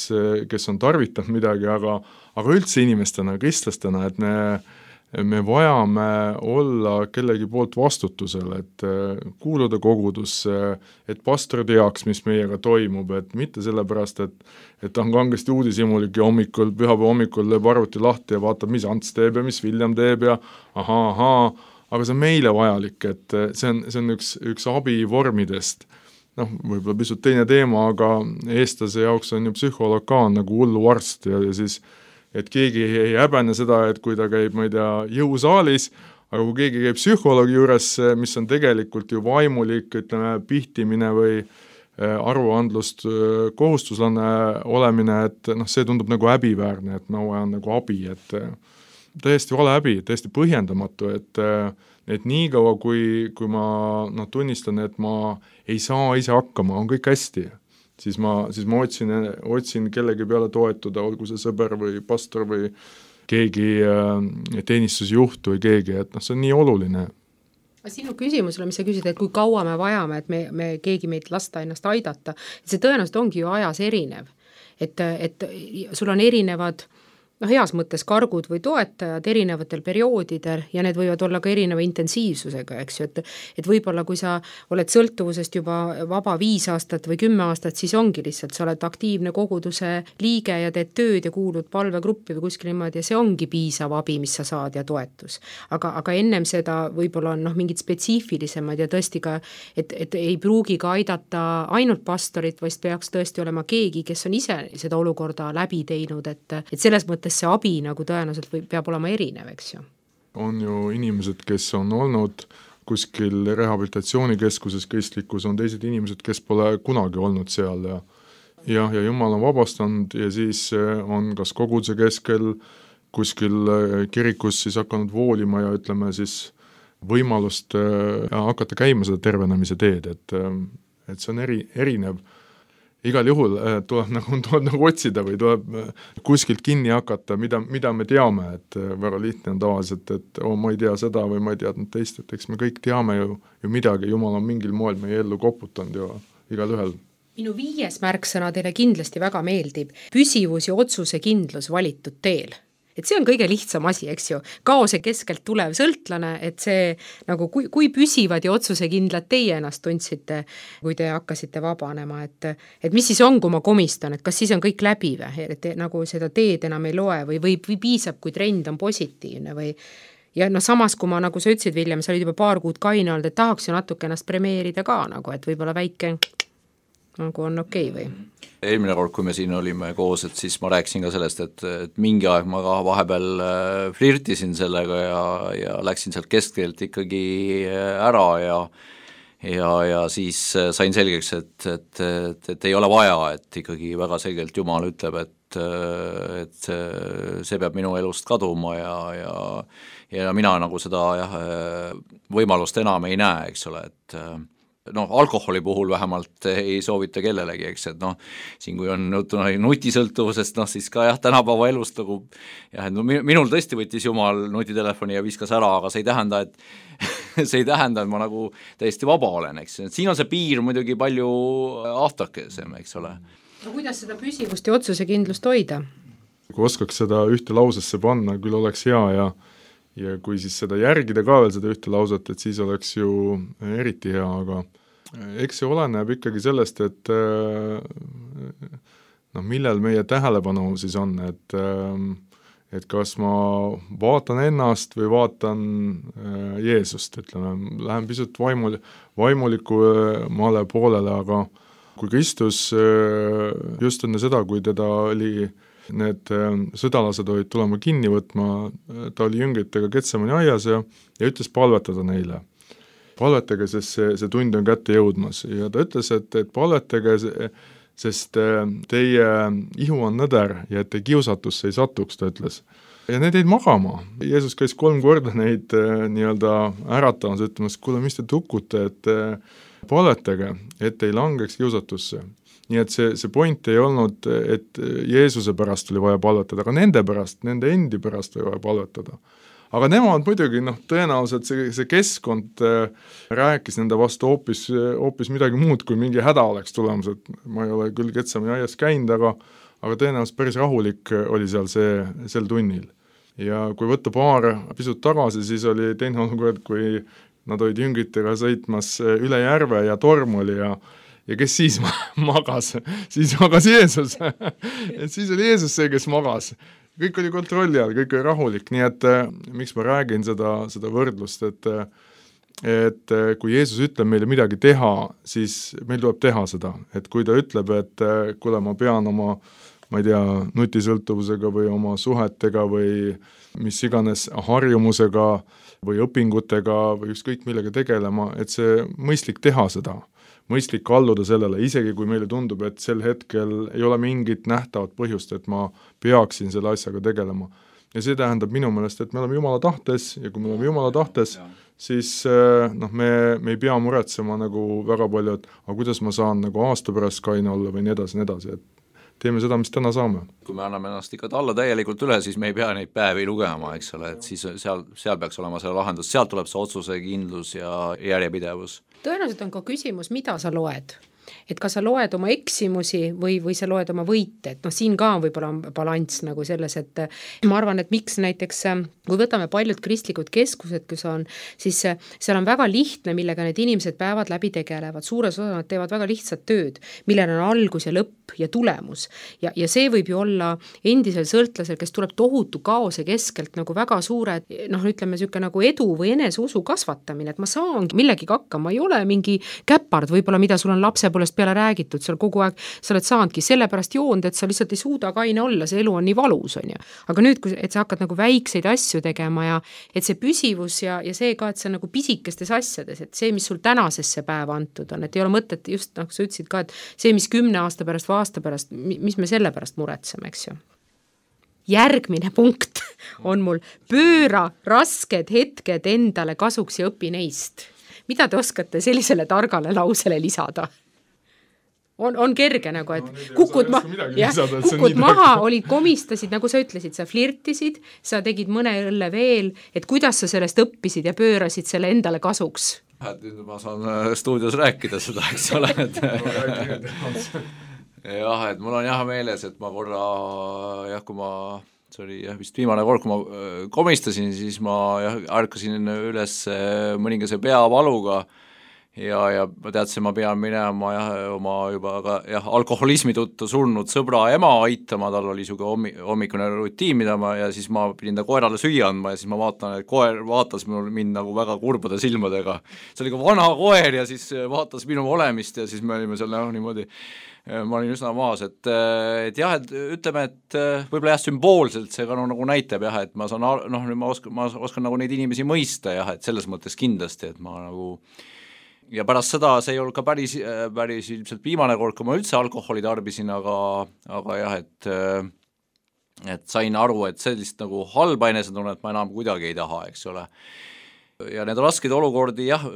kes on tarvitanud midagi, aga, aga üldse inimestena, kristlastena, et me, me vajame olla kellegi poolt vastutusel, et kuuluda kogudusse, et pastor teaks, mis meiega toimub, et mitte sellepärast, et, et ta on kangesti uudishimulik ja hommikul, pühapäeva hommikul lööb arvuti lahti ja vaatab, mis Ants teeb ja mis William teeb ja ahaa, ahaa, aga see on meile vajalik, et see on, see on üks, üks abi vormidest. Noh, võib-olla pisut teine teema, aga eestlase jaoks on ju psühholoog ka nagu hullu arst ja, ja siis, et keegi ei häbene seda, et kui ta käib, ma ei tea, jõusaalis, aga kui keegi käib psühholoogi juures, mis on tegelikult ju vaimulik, ütleme, pihtimine või aruandlust kohustuslane olemine, et noh, see tundub nagu häbiväärne, et ma vajan nagu abi, et täiesti vale häbi, täiesti põhjendamatu, et et nii kaua, kui, kui ma no, tunnistan, et ma ei saa ise hakkama, on kõik hästi, siis ma, siis ma otsin, otsin kellegi peale toetuda, olgu see sõber või pastor või keegi teenistusjuht või keegi, et noh, see on nii oluline. Sinu küsimusele, mis sa küsid, et kui kaua me vajame, et me, me keegi meid lasta ennast aidata, see tõenäoliselt ongi ju ajas erinev, et, et sul on erinevad noh, heas mõttes kargud või toetajad erinevatel perioodidel ja need võivad olla ka erineva intensiivsusega, eks ju, et, et võib-olla kui sa oled sõltuvusest juba vaba viis aastat või kümme aastat, siis ongi lihtsalt, sa oled aktiivne koguduse liige ja teed tööd ja kuulud palvegruppi või kuskil niimoodi ja see ongi piisav abi, mis sa saad ja toetus. Aga, aga ennem seda võib-olla on noh, mingid spetsiifilisemad ja tõesti ka, et, et ei pruugi ka aidata ainult pastorit, vaid peaks tõesti olema keegi, kes on ise seda olukorda läbi teinud, et, et selles mõttes see abi nagu tõenäoliselt või peab olema erinev, eks ju. On ju inimesed, kes on olnud kuskil rehabilitatsioonikeskuses kristlikus, on teised inimesed, kes pole kunagi olnud seal ja ja, ja Jumal on vabastanud ja siis on kas koguduse keskel kuskil kirikus siis hakanud voolima ja ütleme siis võimalust hakata käima seda tervenemise teed, et, et see on eri, erinev. Igal juhul tuleb nagu, tuleb nagu otsida või tuleb kuskilt kinni hakata, mida, mida me teame, et väga lihtne on tavaliselt, et oh, ma ei tea seda või ma ei teadnud teist, et eks me kõik teame ju, ju midagi, Jumal on mingil moel meie ellu koputanud ju igal ühel. Minu viies märksõna teile kindlasti väga meeldib, püsivus ja otsuse kindlus valitud teel. Et see on kõige lihtsam asi, eks ju, kaose keskelt tulev sõltlane, et see nagu kui, kui püsivad ja otsusekindlad teie ennast tundsite, kui te hakkasite vabanema, et, et mis siis on, kui ma komistan, et kas siis on kõik läbi või, et nagu seda teed enam ei loe või, või, või piisab, kui trend on positiivne või ja no samas, kui ma nagu sa ütlesid, William, sa olid juba paar kuud kaine olnud, et tahaks ju natuke ennast premeerida ka nagu, et võib-olla väike nagu on okei okay või? Eelmine kord, kui me siin olime koos, et siis ma rääkisin ka sellest, et, et mingi aeg ma ka vahepeal flirtisin sellega ja, ja läksin sealt keskelt ikkagi ära ja ja, ja siis sain selgeks, et, et, et, et ei ole vaja, et ikkagi väga selgelt Jumal ütleb, et, et see peab minu elust kaduma ja, ja, ja mina nagu seda jah, võimalust enam ei näe, eks ole, et noh, alkoholi puhul vähemalt ei soovita kellelegi, eks, et noh, siin kui on nutisõltuvusest, noh siis ka jah, tänapäeva elust nagu jah, et no minul tõesti võttis Jumal nutitelefoni ja viskas ära, aga see ei tähenda, et see ei tähenda, et ma nagu täiesti vaba olen, eks, et siin on see piir muidugi palju ahtakesem, eks ole. No kuidas seda püsivust ja otsusekindlust hoida? Kui oskaks seda ühte lausesse panna, küll oleks hea ja ja kui siis seda järgida ka veel seda ühte lauset, et siis oleks ju eriti hea, aga eks see oleneb ikkagi sellest, et noh, millel meie tähelepanu siis on, et et kas ma vaatan ennast või vaatan Jeesust, ütleme, lähen pisut vaimul, vaimuliku maale poolele, aga kui Kristus just enne seda, kui teda oli need sõdalased olid tulema kinni võtma, ta oli jüngritega Getsemani aias ja, ja ütles palvetada neile. Palvetage, sest see, see tund on kätte jõudmas ja ta ütles, et, et palvetage, sest teie ihu on nõder ja et te kiusatusse ei satuks, ta ütles. Ja need jäid magama. Jeesus käis kolm korda neid nii-öelda äratamas, ütlemas, kuule, mis te tukute, et palvetage, et ei langeks kiusatusse. Nii et see, see point ei olnud, et Jeesuse pärast oli vaja palvetada, aga nende pärast, nende endi pärast oli vaja palvetada. Aga nemad muidugi, noh, tõenäoliselt see, see keskkond rääkis nende vastu hoopis, hoopis midagi muud, kui mingi häda oleks tulemus, et ma ei ole küll Getsemani aias käinud, aga, aga tõenäoliselt päris rahulik oli seal see, sel tunnil. Ja kui võtta paar pisut tagasi, siis oli teine olukord, kui nad olid jüngritega sõitmas üle järve ja torm oli ja ja kes siis magas? Siis magas Jeesus. Et siis oli Jeesus see, kes magas. Kõik oli kontrolli all, kõik oli rahulik, nii et miks ma räägin seda, seda võrdlust, et, et kui Jeesus ütleb meile midagi teha, siis meil tuleb teha seda. Et kui ta ütleb, et kuule, ma pean oma, ma ei tea, nutisõltuvusega või oma suhetega või mis iganes harjumusega või õpingutega või ükskõik millega tegelema, et see mõistlik teha seda. Mõistlik alluda sellele, isegi kui meile tundub, et sel hetkel ei ole mingit nähtavat põhjust, et ma peaksin selle asjaga tegelema. Ja see tähendab minu meelest, et me oleme Jumala tahtes ja kui me oleme Jumala tahtes, siis noh, me, me ei pea muretsema nagu väga palju, et aga kuidas ma saan nagu aasta pärast kaine olla või nii edasi, nii edasi, et teeme seda, mis täna saame. Kui me anname ennast ikka alla täielikult üle, siis me ei pea neid päevi lugema, eks ole, et siis seal, seal peaks olema selle lahendus, sealt tuleb see otsuse kindlus ja järjepidevus. Tõenäoliselt on ka küsimus, mida sa loed. Et kas sa loed oma eksimusi või, või sa loed oma võite, et noh, siin ka on võib-olla balanss nagu selles, et ma arvan, et miks näiteks, kui võtame paljud kristlikud keskused, kus on, siis seal on väga lihtne, millega need inimesed päevad läbi tegelevad, suures osa nad teevad väga lihtsat tööd, millel on algus ja lõpp ja tulemus. Ja, ja see võib ju olla endisel sõltlasel, kes tuleb tohutu kaose keskelt nagu väga suure, noh, ütleme niisugune nagu edu või eneseusu kasvatamine, et ma saan millegagi hakkama, ei ole mingi käpard võib-olla, mida sul on lapse poolest peale räägitud, seal kogu aeg sa oled saanudki sellepärast joond, et sa lihtsalt ei suuda kaine olla, see elu on nii valus, on ju. Aga nüüd, et sa hakkad nagu väikseid asju tegema ja et see püsivus ja, ja see ka, et see on nagu pisikestes asjades, et see, mis sul tänasesse päeva antud on, et ei ole mõtet just, nagu sa ütlesid ka, et see, mis kümne aasta pärast või aasta pärast, mis me selle pärast muretseme, eks ju. Järgmine punkt on mul pööra rasked hetked endale kasuks ja õpi neist. Mida te oskate sellisele targale lausele lisada? On, on kerge nagu, et no, kukud, ma, jah, lisada, kukud maha, olid komistasid, nagu sa ütlesid, sa flirtisid, sa tegid mõne õlle veel, et kuidas sa sellest õppisid ja pöörasid selle endale kasuks? Nüüd ma saan stuudios rääkida seda, eks ole, et jah, et mul on jah meeles, et ma korra, jah, kui ma, see oli jah, vist viimane kord, kui ma komistasin, siis ma jah, ärkasin üles mõningase peavaluga ja, ja ma teadsin, ma pean minema jah, oma juba ka jah, alkoholismi tõttu surnud sõbra ema aitama, tal oli siuke hommi, hommikune rutiin, mida ma ja siis ma pidin ta koerale süüa andma ja siis ma vaatan, et koer vaatas mul mind nagu väga kurbade silmadega. See oli ka vana koer ja siis vaatas minu olemist ja siis me olime seal noh, niimoodi ma olin üsna maas, et, et jah, et ütleme, et võib-olla jah, sümboolselt see ka no, nagu näitab jah, et ma saan, noh, ma oskan, ma oskan nagu neid inimesi mõista jah, et selles mõttes kindlasti, et ma nagu ja pärast seda see ei olnud ka päris, päris ilmselt viimane kord, kui ma üldse alkoholi tarbisin, aga, aga jah, et et sain aru, et sellist nagu halba enesetunnet ma enam kuidagi ei taha, eks ole. Ja need rasked olukordi jah,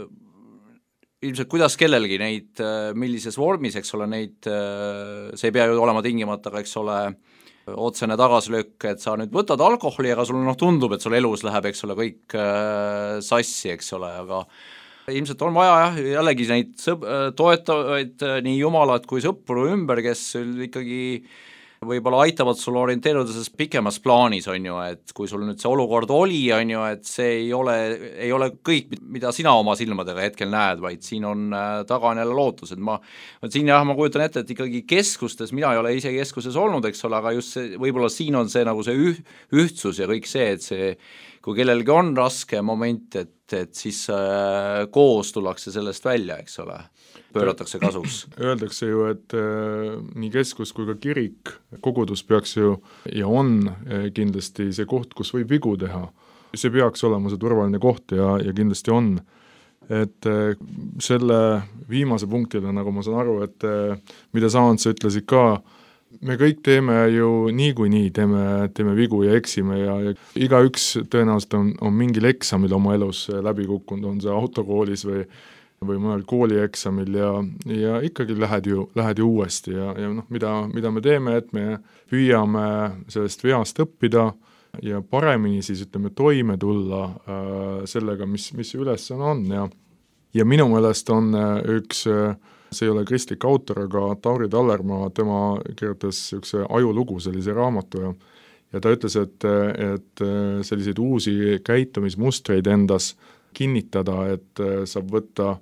ilmselt kuidas kellelgi neid, millises vormis, eks ole, neid, see ei pea ju olema tingimata, eks ole, otsene tagasilöök, et sa nüüd võtad alkoholi, aga sul noh, tundub, et sul elus läheb, eks ole, kõik sassi, eks ole, aga ilmselt on vaja jah, jällegi neid sõb- toetavaid nii jumalat kui sõpru ümber, kes ikkagi võib-olla aitavad sul orienteeruda selles pikemas plaanis, on ju, et kui sul nüüd see olukord oli, on ju, et see ei ole, ei ole kõik, mida sina oma silmadega hetkel näed, vaid siin on taga on jälle lootus, et ma, siin jah, ma kujutan ette, et ikkagi keskustes, mina ei ole ise keskuses olnud, eks ole, aga just see, võib-olla siin on see nagu see üh, ühtsus ja kõik see, et see, kui kellelgi on raske moment, et, et siis äh, koos tullakse sellest välja, eks ole, pööratakse kasuks. Öeldakse ju, et äh, nii keskus kui ka kirik, kogudus peaks ju ja on äh, kindlasti see koht, kus võib vigu teha. See peaks olema see turvaline koht ja, ja kindlasti on. Et äh, selle viimase punktile, nagu ma saan aru, et äh, mida sa Ants ütlesid ka, me kõik teeme ju niikuinii, teeme, teeme vigu ja eksime ja, ja igaüks tõenäoliselt on, on mingil eksamil oma elus läbi kukkunud, on see autokoolis või või mõnel koolieksamil ja, ja ikkagi lähed ju, lähed ju uuesti ja, ja noh, mida, mida me teeme, et me püüame sellest veast õppida ja paremini siis ütleme toime tulla äh, sellega, mis, mis ülesanne on ja, ja minu meelest on üks, see ei ole kristlik autor, aga Tauri Tallermaa, tema kirjutas üks ajulugu sellise raamatu ja, ja ta ütles, et, et selliseid uusi käitumismustreid endas kinnitada, et saab võtta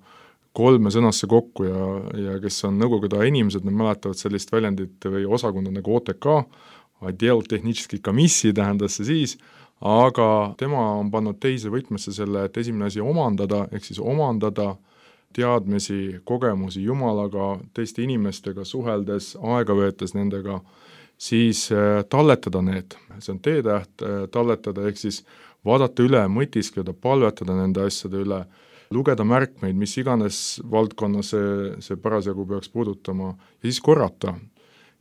kolme sõnasse kokku ja, ja kes on nõukogude inimesed, nad mäletavad sellist väljendit või osakonda nagu O T K, Отдел технической комиссии tähendas see siis, aga tema on pannud teise võtmesse selle, et esimene asi omandada, ehk siis omandada teadmisi, kogemusi Jumalaga, teiste inimestega suheldes, aega veetes nendega, siis talletada need, see on teetäht, talletada, ehk siis vaadata üle, mõtiskleda, palvetada nende asjade üle, lugeda märkmeid, mis iganes valdkonna see, see parasjagu peaks puudutama ja siis korrata.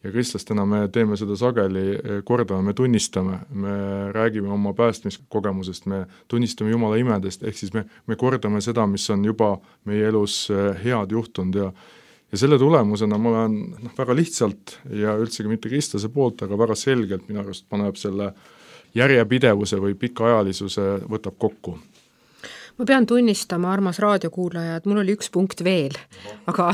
Ja kristlastena me teeme seda sageli, kordame, me tunnistame, me räägime oma päästmiskogemusest, me tunnistame Jumala imedest, ehk siis me, me kordame seda, mis on juba meie elus head juhtunud ja ja selle tulemusena ma olen noh, väga lihtsalt ja üldsegi mitte kristlase poolt, aga väga selgelt minu arust paneb selle järjepidevuse või pikaajalisuse võtab kokku. Ma pean tunnistama, armas raadiokuulaja, et mul oli üks punkt veel, aga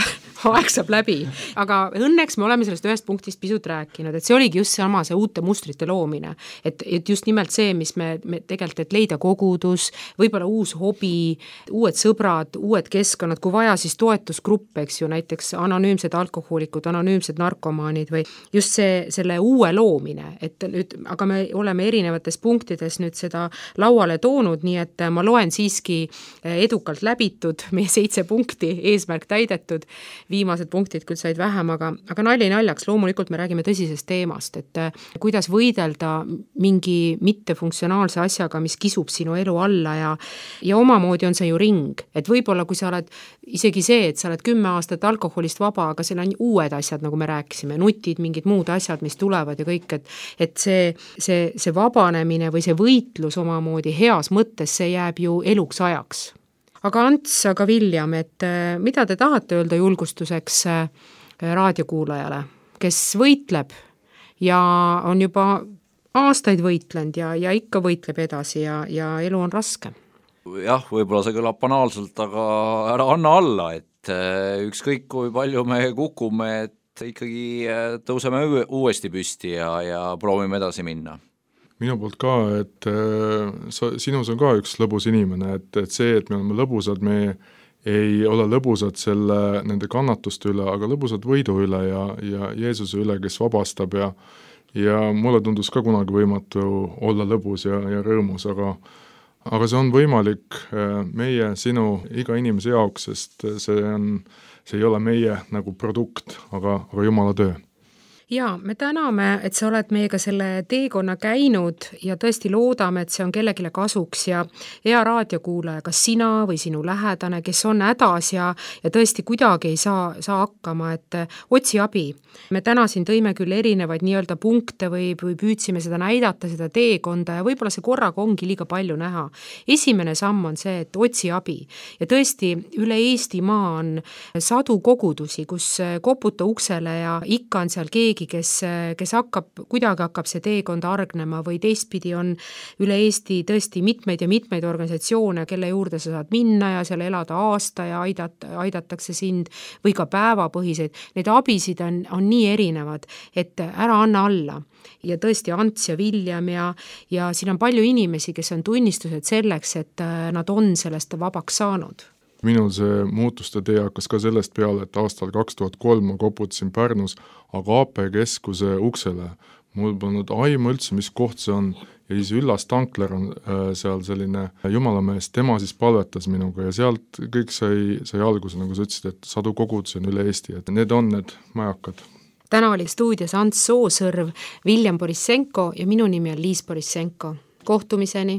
aeg saab läbi. Aga õnneks me oleme sellest ühest punktist pisut rääkinud, et see oligi just sama see uute mustrite loomine. Et, et just nimelt see, mis me, me tegelikult, et leida kogudus, võib-olla uus hobi, uued sõbrad, uued keskkonnad, kui vaja, siis toetusgrupp, eks ju, näiteks anonüümsed alkohoolikud, anonüümsed narkomaanid või just see, selle uue loomine. Et nüüd, aga me oleme erinevates punktides nüüd seda lauale toonud, nii et ma loen siiski edukalt läbitud, meie seitse punkti, eesmärk täidetud, viimased punktid küll said vähem, aga, aga nalja naljaks, loomulikult me räägime tõsisest teemast, et kuidas võidelda mingi mittefunktsionaalse asjaga, mis kisub sinu elu alla ja, ja omamoodi on see ju ring, et võib-olla kui sa oled isegi see, et sa oled kümme aastat alkoholist vaba, aga seal on uued asjad, nagu me rääkisime, nutid, mingid muud asjad, mis tulevad ja kõik, et, et see, see, see vabanemine või see võitlus omamoodi heas mõttes, see jääb ju eluks ajaks. Aga Ants, aga William, et mida te tahate öelda julgustuseks raadiokuulajale, kes võitleb ja on juba aastaid võitlenud ja, ja ikka võitleb edasi ja, ja elu on raske? Jah, võib-olla see kõlab banaalselt, aga ära anna alla, et ükskõik kui palju me kukume, et ikkagi tõuseme uuesti püsti ja, ja proovime edasi minna. Minu poolt ka, et äh, sa, sinus on ka üks lõbus inimene, et, et see, et me oleme lõbusad, me ei ole lõbusad selle, nende kannatuste üle, aga lõbusad võidu üle ja, ja Jeesuse üle, kes vabastab ja ja mulle tundus ka kunagi võimatu olla lõbus ja, ja rõõmus, aga aga see on võimalik meie, sinu, iga inimese jaoks, sest see on, see ei ole meie nagu produkt, aga, aga Jumala töö. Ja me täname, et sa oled meiega selle teekonna käinud ja tõesti loodame, et see on kellegile kasuks ja hea raadiokuulaja, kas sina või sinu lähedane, kes on hädas ja, ja tõesti kuidagi ei saa, saa hakkama, et otsi abi. Me täna siin tõime küll erinevaid nii-öelda punkte või, või püüdsime seda näidata, seda teekonda ja võib-olla see korraga ongi liiga palju näha. Esimene samm on see, et otsi abi ja tõesti üle Eestimaa on sadu kogudusi, kus koputa uksele ja ikka on seal keegi, kes, kes hakkab, kuidagi hakkab see teekond argnema või teistpidi on üle Eesti tõesti mitmeid ja mitmeid organisatsioone, kelle juurde sa saad minna ja seal elada aasta ja aidat, aidatakse sind või ka päevapõhiseid. Need abisid on, on nii erinevad, et ära anna alla. Ja tõesti Ants ja Viljem ja, ja siin on palju inimesi, kes on tunnistused selleks, et nad on sellest vabaks saanud. Minul see muutuste tee hakkas ka sellest peale, et aastal kaks tuhat kolm ma koputasin Pärnus Agape keskuse uksele. Mul polnud aimu üldse, mis koht see on ja siis Üllas Tankler on äh, seal selline jumalamees, tema siis palvetas minuga ja sealt kõik sai, sai alguse, nagu sa ütlesid, et sadu kogudusi on üle Eesti, et need on need majakad. Täna oli stuudios Ants Soosõrv, Viljem Borissenko ja minu nimi on Liis Borissenko. Kohtumiseni!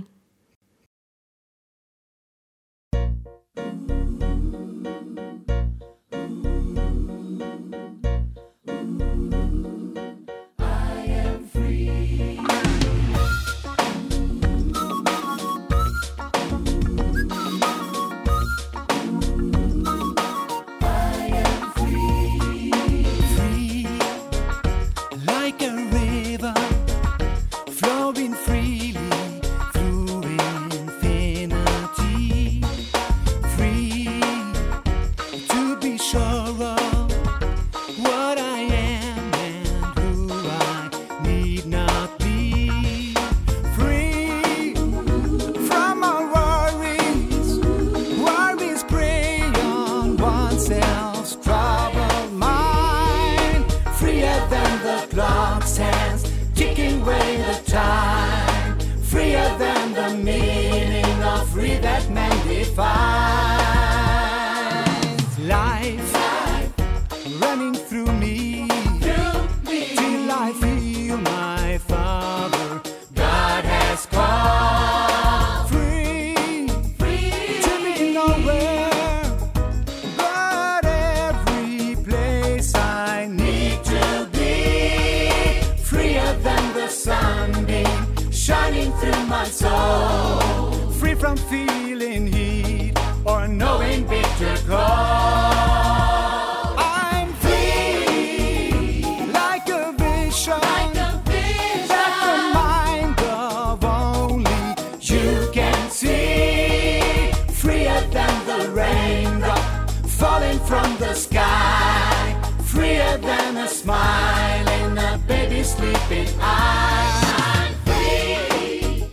From the sky, freer than a smile in a baby's sleeping eye. I'm free,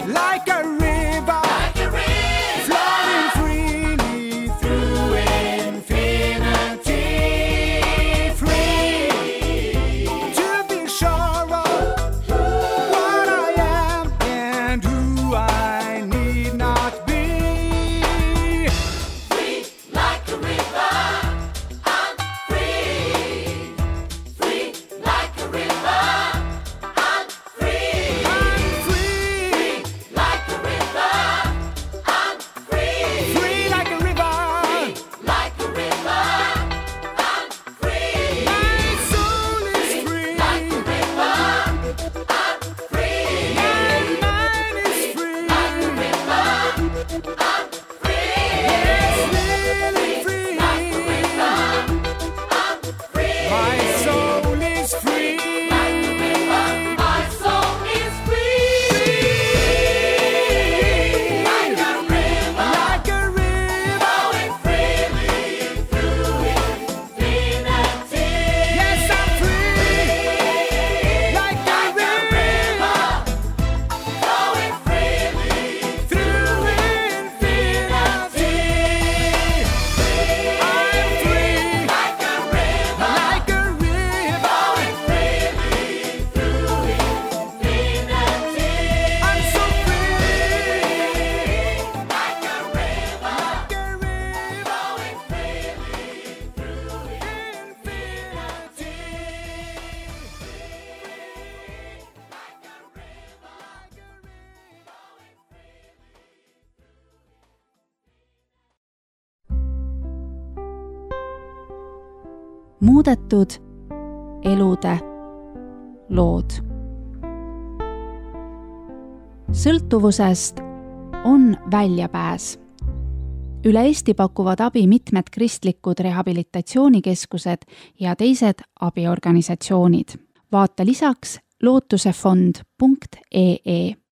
like a river, like a river, flowing freely through infinity. Free to be sure of what I am and who I need not be. Free like a river. muudetud elude lood. Sõltuvusest on väljapääs. Üle Eesti pakuvad abi mitmed kristlikud rehabilitatsioonikeskused ja teised abiorganisatsioonid. Vaata lisaks lootusefond punkt ee.